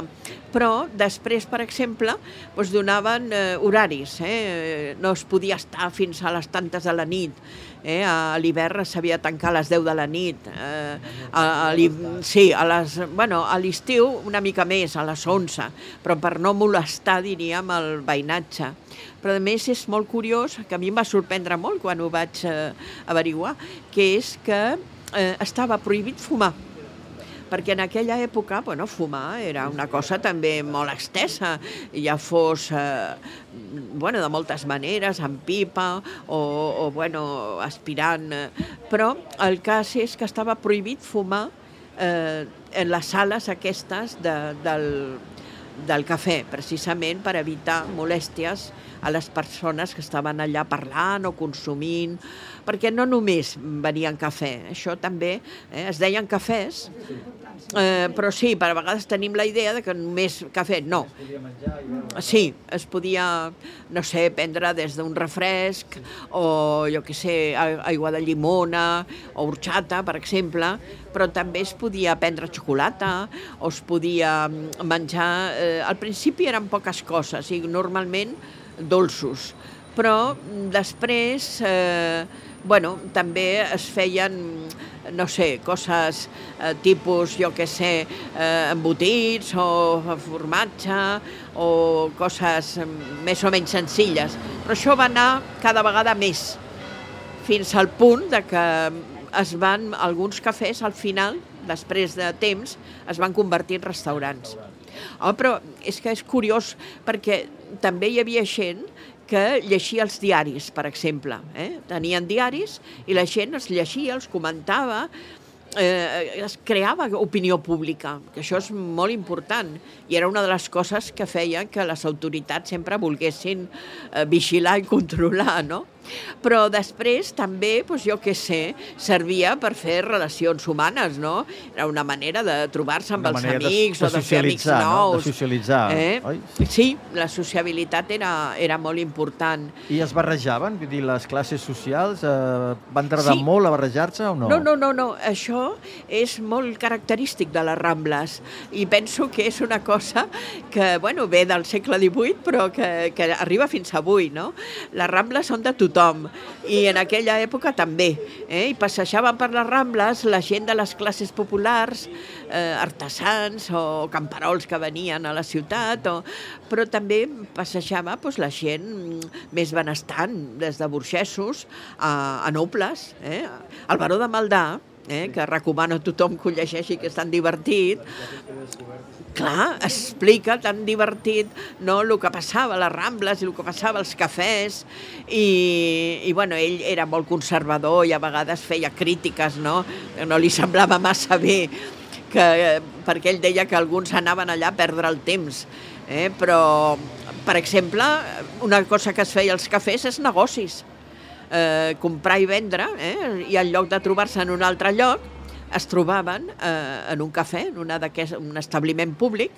Speaker 6: però després, per exemple, doncs donaven eh, horaris, eh? No es podia estar fins a les tantes de la nit, eh? A l'hivern s'havia de tancar a les deu de la nit, eh? a, a sí, a les, bueno, a l'estiu una mica més, a les onze, però per no molestar, diríem, el veïnatge. Però a més és molt curiós, que a mi em va sorprendre molt quan ho vaig eh, averiguar, que és que eh, estava prohibit fumar, perquè en aquella època, bueno, fumar era una cosa també molt extensa, ja fos eh, bueno, de moltes maneres, amb pipa o, o bueno, aspirant, però el cas és que estava prohibit fumar eh, en les sales aquestes de, del, del cafè, precisament per evitar molèsties a les persones que estaven allà parlant o consumint, perquè no només venien cafè, això també, eh, es deien cafès, eh, però sí, per a vegades tenim la idea de que només cafè, no. Sí, es podia, no sé, prendre des d'un refresc o, jo què sé, aigua de llimona o horchata, per exemple, però també es podia prendre xocolata o es podia menjar... Eh, al principi eren poques coses i normalment dolços, però després, eh, bueno, també es feien, no sé, coses eh, tipus, jo què sé, eh, embotits o formatge o coses més o menys senzilles. Però això va anar cada vegada més, fins al punt de que es van, alguns cafès al final, després de temps, es van convertir en restaurants. Oh, però és que és curiós perquè també hi havia gent que llegia els diaris, per exemple. Eh? Tenien diaris i la gent els llegia, els comentava, eh, es creava opinió pública, que això és molt important i era una de les coses que feia que les autoritats sempre volguessin eh, vigilar i controlar, no? Però després també, doncs jo què sé, servia per fer relacions humanes, no? Era una manera de trobar-se amb els amics
Speaker 2: de, de
Speaker 6: o de fer amics nous.
Speaker 2: No? De socialitzar,
Speaker 6: eh?
Speaker 2: oi?
Speaker 6: Sí, la sociabilitat era, era molt important.
Speaker 2: I es barrejaven? Vull dir, les classes socials eh, van tardar
Speaker 6: sí.
Speaker 2: molt a barrejar-se o no?
Speaker 6: No, no, no, no. Això és molt característic de les Rambles i penso que és una cosa que, bueno, ve del segle divuit però que, que arriba fins avui, no? Les Rambles són de tothom i en aquella època també, eh? I passejaven per les Rambles la gent de les classes populars, eh, artesans o camperols que venien a la ciutat, o... però també passejava doncs, la gent més benestant, des de burgesos a, a nobles. Eh? El baró de Maldà, eh? que recomano a tothom que ho llegeixi, que és tan divertit, clar, explica tan divertit, no, el que passava a les Rambles i el que passava als cafès i, i bueno, ell era molt conservador i a vegades feia crítiques, no? No li semblava massa bé, que, perquè ell deia que alguns anaven allà a perdre el temps, eh? Però, per exemple, una cosa que es feia als cafès és negocis, eh, comprar i vendre, eh? I en lloc de trobar-se en un altre lloc, es trobaven eh, en un cafè, en una un establiment públic,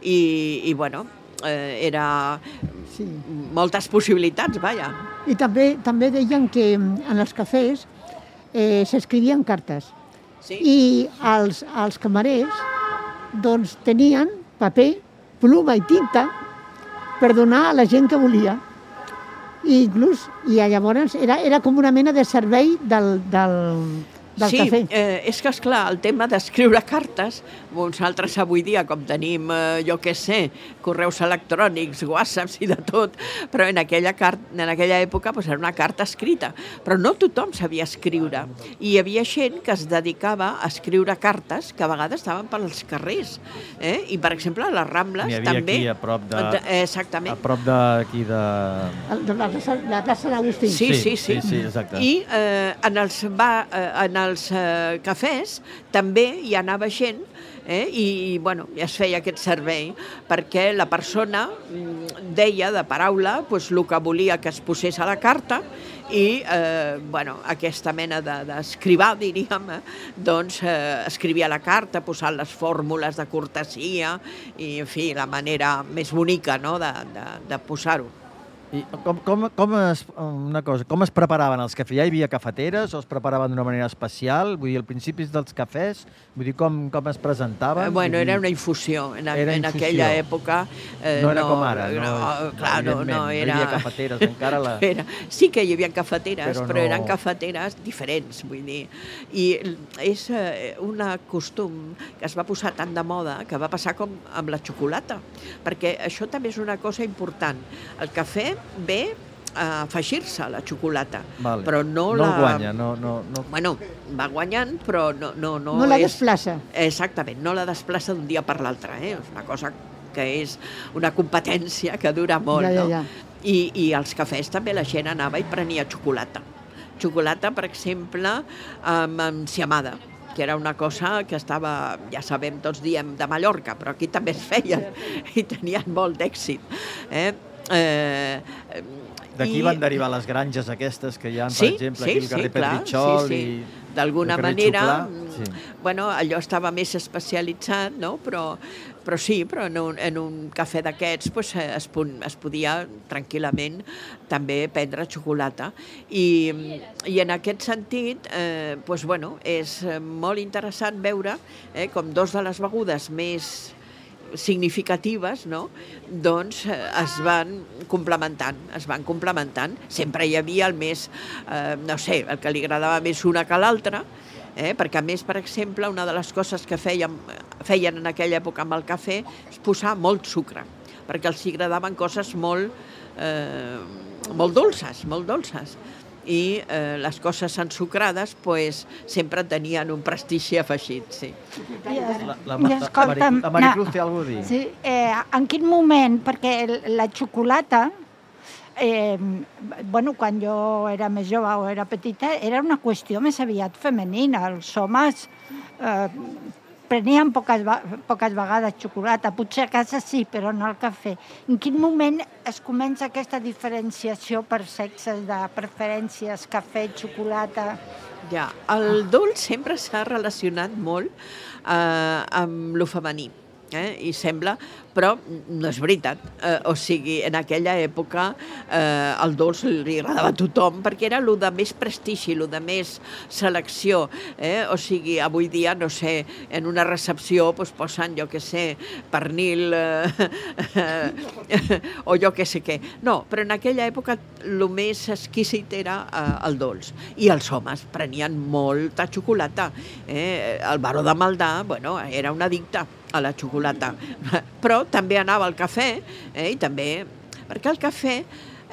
Speaker 6: i, i bueno, eh, era sí. moltes possibilitats, vaja.
Speaker 3: I també, també deien que en els cafès eh, s'escrivien cartes.
Speaker 6: Sí.
Speaker 3: I els, els camarers doncs, tenien paper, pluma i tinta per donar a la gent que volia. I inclús, i llavors era, era com una mena de servei del, del, del
Speaker 6: sí,
Speaker 3: cafè.
Speaker 6: Eh, és que, esclar, el tema d'escriure cartes, nosaltres avui dia, com tenim, eh, jo què sé, correus electrònics, whatsapps i de tot, però en aquella, car en aquella època pues, era una carta escrita, però no tothom sabia escriure. I hi havia gent que es dedicava a escriure cartes que a vegades estaven pels carrers. Eh? I, per exemple, a les Rambles
Speaker 2: N'hi havia
Speaker 6: també...
Speaker 2: aquí, a prop de...
Speaker 6: Exactament.
Speaker 2: A prop d'aquí de...
Speaker 3: De la, la plaça d'Agustí.
Speaker 6: Sí, sí, sí,
Speaker 2: sí, sí, exacte.
Speaker 6: I eh, en els, va, eh, en els eh, cafès també hi anava gent, eh, i, i bueno, ja es feia aquest servei, perquè la persona deia de paraula pues, el que volia que es posés a la carta i eh, bueno, aquesta mena d'escrivar, de, diríem, eh, doncs eh, escrivia la carta posant les fórmules de cortesia i, en fi, la manera més bonica, no?, de, de, de posar-ho.
Speaker 2: I com, com, com, es, una cosa, com es preparaven els cafès? Ja hi havia cafeteres o es preparaven d'una manera especial? Vull dir, al principi dels cafès, vull dir, com, com es presentaven?
Speaker 6: Eh, bueno,
Speaker 2: dir,
Speaker 6: era una infusió. En,
Speaker 2: era
Speaker 6: en
Speaker 2: infusió.
Speaker 6: aquella època... Eh,
Speaker 2: no era
Speaker 6: no,
Speaker 2: com ara, no?
Speaker 6: no clar, no, no, era...
Speaker 2: no hi havia cafeteres, encara la...
Speaker 6: Era, sí que hi havia cafeteres,
Speaker 2: però,
Speaker 6: però
Speaker 2: no...
Speaker 6: eren cafeteres diferents, vull dir. I és eh, un costum que es va posar tan de moda que va passar com amb la xocolata, perquè això també és una cosa important. El cafè ve a afegir-se la xocolata,
Speaker 2: vale.
Speaker 6: però no,
Speaker 2: no
Speaker 6: la...
Speaker 2: No guanya, no, no, no...
Speaker 6: Bueno, va guanyant, però no... No, no,
Speaker 3: no la
Speaker 6: és...
Speaker 3: desplaça.
Speaker 6: Exactament, no la desplaça d'un dia per l'altre, eh? És una cosa que és una competència que dura molt,
Speaker 3: ja, ja,
Speaker 6: no?
Speaker 3: ja.
Speaker 6: I, I als cafès també la gent anava i prenia xocolata. Xocolata, per exemple, amb enciamada, que era una cosa que estava, ja sabem, tots diem de Mallorca, però aquí també es feien i tenien molt d'èxit. Eh? Eh,
Speaker 2: D'aquí van derivar les granges aquestes que hi ha, per
Speaker 6: sí,
Speaker 2: exemple,
Speaker 6: sí,
Speaker 2: aquí al carrer
Speaker 6: sí, clar,
Speaker 2: Pedritxol
Speaker 6: sí, sí.
Speaker 2: i...
Speaker 6: D'alguna
Speaker 2: el carrer
Speaker 6: manera,
Speaker 2: Xuclà, sí.
Speaker 6: bueno, allò estava més especialitzat, no? Però, però sí, però en un, en un cafè d'aquests pues, es, es podia tranquil·lament també prendre xocolata. I, i en aquest sentit, eh, pues, bueno, és molt interessant veure eh, com dos de les begudes més significatives, no? Doncs eh, es van complementant, es van complementant. Sempre hi havia el més, eh, no sé, el que li agradava més una que l'altra, eh? Perquè a més, per exemple, una de les coses que fèiem, feien en aquella època amb el cafè és posar molt sucre, perquè els agradaven coses molt, eh, molt dolces, molt dolces. I eh, les coses ensucrades pues, sempre tenien un prestigi afegit, sí.
Speaker 2: La, la, la, la, la Maricruz té alguna cosa a dir?
Speaker 7: Sí, eh, en quin moment, perquè la xocolata, eh, bueno, quan jo era més jove o era petita, era una qüestió més aviat femenina. Els homes eh, prenien poques, poques vegades xocolata, potser a casa sí, però no al cafè. En quin moment es comença aquesta diferenciació per sexes de preferències, cafè, xocolata?
Speaker 6: Ja, el dolç sempre s'ha relacionat molt eh, amb lo femení. Eh? I sembla, però no és veritat. Eh, o sigui, en aquella època eh, el dolç li agradava a tothom perquè era el de més prestigi, el de més selecció. Eh? O sigui, avui dia, no sé, en una recepció pues, posen, jo què sé, pernil eh, eh, o jo què sé què. No, però en aquella època el més exquisit era eh, el dolç. I els homes prenien molta xocolata. Eh? El baró de Maldà, bueno, era un addicte a la xocolata, però també anava al cafè, eh, i també, perquè el cafè,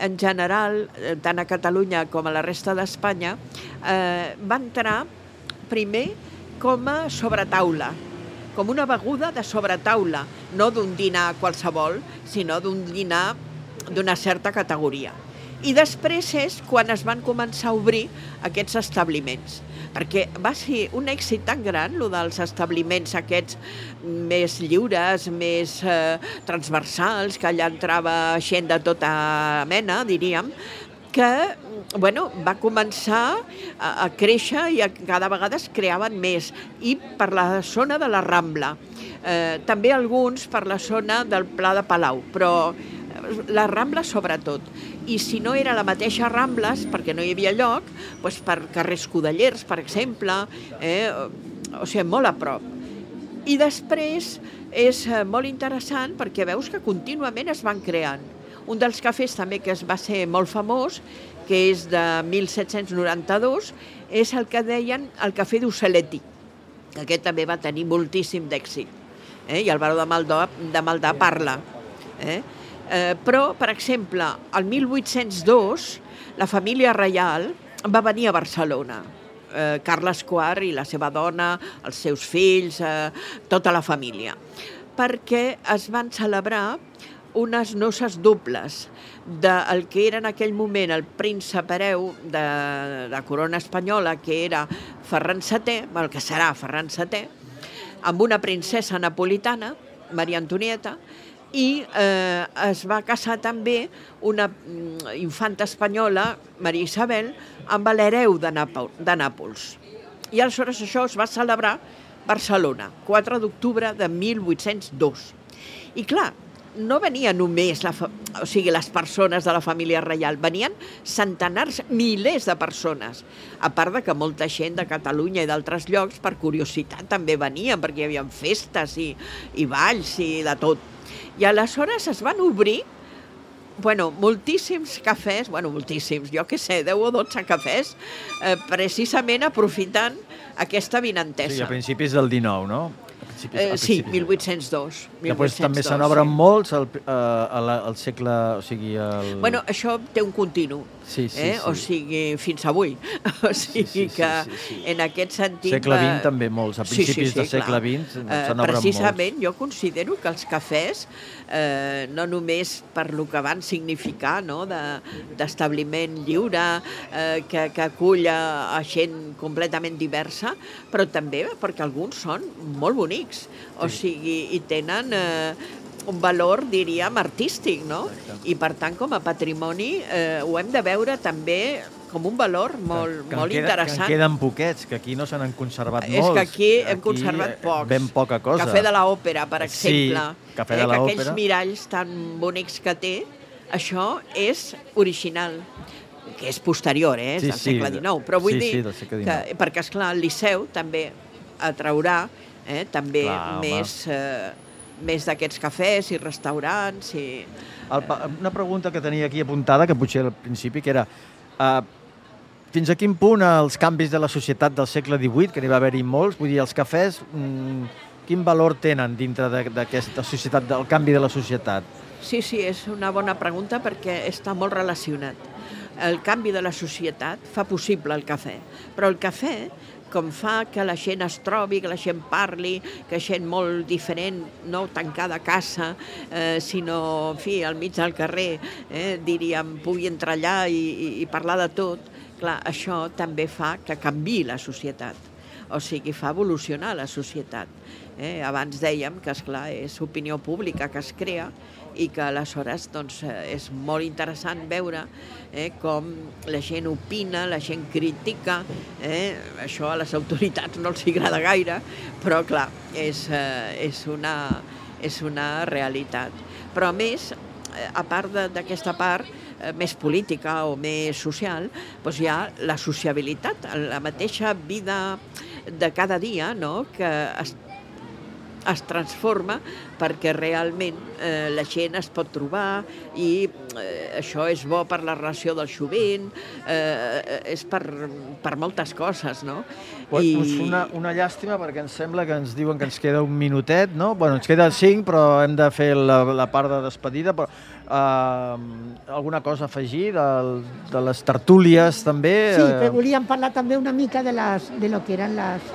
Speaker 6: en general, tant a Catalunya com a la resta d'Espanya, eh, va entrar primer com a sobretaula, com una beguda de sobretaula, no d'un dinar qualsevol, sinó d'un dinar d'una certa categoria. I després és quan es van començar a obrir aquests establiments, perquè va ser un èxit tan gran, el dels establiments aquests més lliures, més eh, transversals, que allà entrava gent de tota mena, diríem, que bueno, va començar a, a créixer i a, cada vegada es creaven més, i per la zona de la Rambla, eh, també alguns per la zona del Pla de Palau, però la Rambla sobretot. I si no era la mateixa Rambles, perquè no hi havia lloc, doncs per carrers Codellers, per exemple, eh, o sigui, molt a prop. I després és molt interessant perquè veus que contínuament es van creant. Un dels cafès també que es va ser molt famós, que és de mil set-cents noranta-dos, és el que deien el cafè d'Uceletti, que aquest també va tenir moltíssim d'èxit. Eh? I el baró de Maldà, de Maldà parla. Eh? Eh, però, per exemple, el mil vuit-cents dos, la família reial va venir a Barcelona. Eh, Carles quart i la seva dona, els seus fills, eh, tota la família, perquè es van celebrar unes noces dobles del que era en aquell moment el príncep hereu de la corona espanyola, que era Ferran setè, el que serà Ferran setè, amb una princesa napolitana, Maria Antonieta, i eh, es va casar també una infanta espanyola, Maria Isabel, amb l'hereu de, de Nàpols. I aleshores això es va celebrar a Barcelona, quatre d'octubre de mil vuit-cents dos. I clar, no venien només la, o sigui, les persones de la família reial, venien centenars, milers de persones, a part de que molta gent de Catalunya i d'altres llocs, per curiositat, també venien, perquè hi havia festes i, i balls i de tot. I aleshores es van obrir, bueno, moltíssims cafès, bueno, moltíssims, jo què sé, deu o dotze cafès, eh, precisament aprofitant aquesta vinentesa.
Speaker 2: Sí, a principis del dinou, no?
Speaker 6: Eh, sí, mil vuit-cents dos.
Speaker 2: Després també se n'obren sí. molts al, al, al segle... O sigui, el...
Speaker 6: Bueno, això té un continu,
Speaker 2: sí, sí,
Speaker 6: eh?
Speaker 2: sí.
Speaker 6: O sigui, fins avui. O sigui sí, sí, sí, que sí, sí, sí. En aquest sentit...
Speaker 2: Segle vint també molts, a principis sí, sí, sí, del segle vint se n'obren molts.
Speaker 6: Precisament jo considero que els cafès, eh, no només per lo que van significar, no? d'establiment lliure, eh, que, que acull a gent completament diversa, però també perquè alguns són molt bonics. O sigui, i tenen eh, un valor, diríem, artístic, no? I per tant, com a patrimoni, eh, ho hem de veure també com un valor molt, que, que molt queda, interessant.
Speaker 2: Que en queden poquets, que aquí no se n'han conservat
Speaker 6: és
Speaker 2: molts.
Speaker 6: És que aquí hem aquí conservat pocs.
Speaker 2: Ben poca cosa.
Speaker 6: Cafè de l'Òpera, per exemple.
Speaker 2: Sí, Cafè de l'Òpera.
Speaker 6: Eh, aquells miralls tan bonics que té, això és original, que és posterior, eh? És
Speaker 2: sí,
Speaker 6: del segle dinou. Però vull
Speaker 2: sí,
Speaker 6: dir,
Speaker 2: sí,
Speaker 6: que, perquè, esclar, el Liceu també atraurà Eh, també
Speaker 2: Clar,
Speaker 6: més, eh, més d'aquests cafès i restaurants. I...
Speaker 2: El, una pregunta que tenia aquí apuntada, que potser al principi, que era uh, fins a quin punt els canvis de la societat del segle divuit, que n'hi va haver-hi molts, vull dir, els cafès, mm, quin valor tenen dintre d'aquesta societat, del canvi de la societat?
Speaker 6: Sí, sí, és una bona pregunta perquè està molt relacionat. El canvi de la societat fa possible el cafè, però el cafè, com fa que la gent es trobi, que la gent parli, que gent molt diferent, no tancada a casa, eh, sinó, en fi, al mig del carrer, eh, diríem, pugui entrar allà i, i, i parlar de tot, clar, això també fa que canviï la societat, o sigui, fa evolucionar la societat. Eh? Abans dèiem que, esclar, és opinió pública que es crea i que aleshores doncs, és molt interessant veure eh, com la gent opina, la gent critica, eh? Això a les autoritats no els agrada gaire, però clar, és, eh, és, una, és una realitat. Però a més, a part d'aquesta part eh, més política o més social, doncs hi ha la sociabilitat, la mateixa vida de cada dia, no? Que es es transforma perquè realment eh, la gent es pot trobar i eh, això és bo per la relació del jovent, eh, és per, per moltes coses, no?
Speaker 2: Pues, I... pues una, una llàstima perquè em sembla que ens diuen que ens queda un minutet, no? Bueno, ens queda cinc, però hem de fer la, la part de despedida, però uh, alguna cosa a afegir de, de les tertúlies també?
Speaker 3: Sí, però volíem parlar també una mica de, les, de lo que eren les,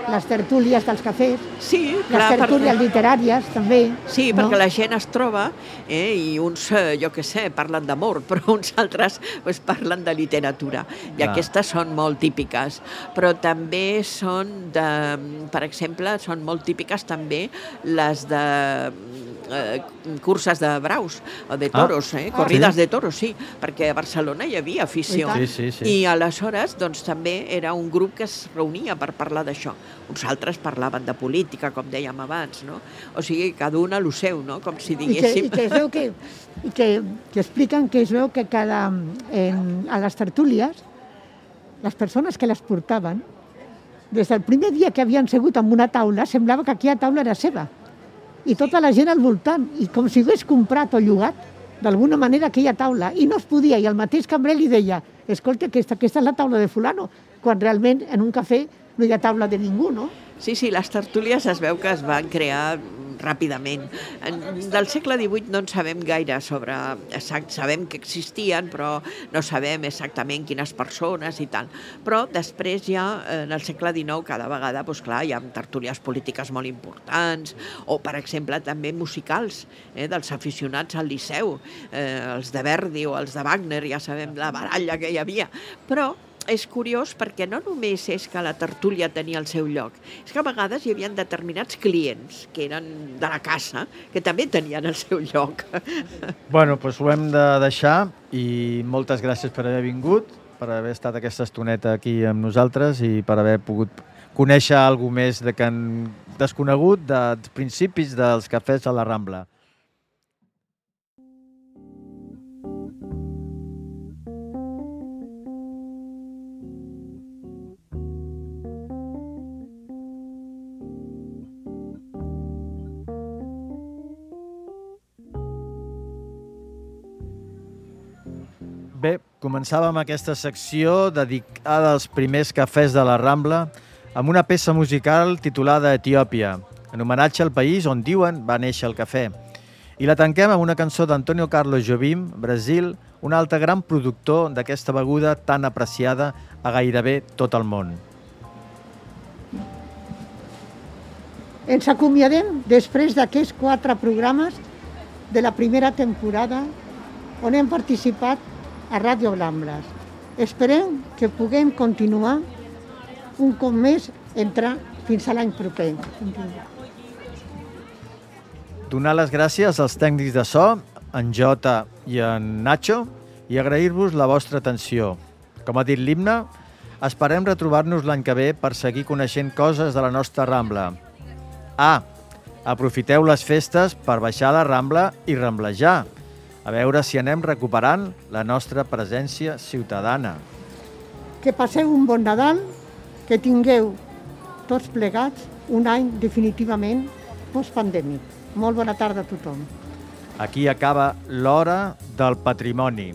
Speaker 3: les tertúlies dels cafès,
Speaker 6: sí, clar,
Speaker 3: les tertúlies per... literàries també.
Speaker 6: Sí, no? Perquè la gent es troba eh, i uns, jo què sé, parlen d'amor, però uns altres pues, parlen de literatura. I clar. Aquestes són molt típiques. Però també són, de, per exemple, són molt típiques també les de eh, curses de braus o de toros, ah, eh? corrides ah, sí? de toros, sí, perquè a Barcelona hi havia afició.
Speaker 2: Sí, sí, sí.
Speaker 6: I aleshores doncs, també era un grup que es reunia per parlar d'això. Uns altres parlaven de política, com dèiem abans, no? O sigui, cada un a lo seu, no? Com si diguéssim...
Speaker 3: I que, i que es veu que, i que, que expliquen que es veu que cada, en, a les tertúlies, les persones que les portaven, des del primer dia que havien segut en una taula, semblava que aquella taula era seva. I tota la gent al voltant, i com si hagués comprat o llogat, d'alguna manera, aquella taula, i no es podia, i el mateix cambrer li deia, escolta, aquesta, aquesta és la taula de fulano, quan realment en un cafè no hi ha taula de ningú, no?
Speaker 6: Sí, sí, les tertúlies es veu que es van crear ràpidament. Del segle divuit no en sabem gaire sobre... Sabem que existien, però no sabem exactament quines persones i tal. Però després ja, en el segle dinou, cada vegada, doncs clar, hi ha tertúlies polítiques molt importants, o, per exemple, també musicals, eh, dels aficionats al Liceu, eh, els de Verdi o els de Wagner, ja sabem la baralla que hi havia. Però és curiós perquè no només és que la tertúlia tenia el seu lloc, és que a vegades hi havia determinats clients que eren de la casa que també tenien el seu lloc.
Speaker 2: Bueno, doncs ho hem de deixar i moltes gràcies per haver vingut, per haver estat aquesta estoneta aquí amb nosaltres i per haver pogut conèixer alguna més de que han desconegut dels principis dels cafès a la Rambla. Bé, començàvem aquesta secció dedicada als primers cafès de la Rambla amb una peça musical titulada Etiòpia, en homenatge al país on diuen va néixer el cafè. I la tanquem amb una cançó d'Antonio Carlos Jobim, Brasil, un altre gran productor d'aquesta beguda tan apreciada a gairebé tot el món.
Speaker 3: Ens acomiadem després d'aquests quatre programes de la primera temporada on hem participat a Ràdio Ramblas. Esperem que puguem continuar un cop més entrar fins a l'any proper.
Speaker 2: Donar les gràcies als tècnics de so, en Jota i en Nacho, i agrair-vos la vostra atenció. Com ha dit l'himne, esperem retrobar-nos l'any que ve per seguir coneixent coses de la nostra Rambla. Ah, aprofiteu les festes per baixar a la Rambla i ramblejar, a veure si anem recuperant la nostra presència ciutadana.
Speaker 3: Que passeu un bon Nadal, que tingueu tots plegats un any definitivament postpandèmic. Molt bona tarda a tothom.
Speaker 2: Aquí acaba l'Hora del Patrimoni.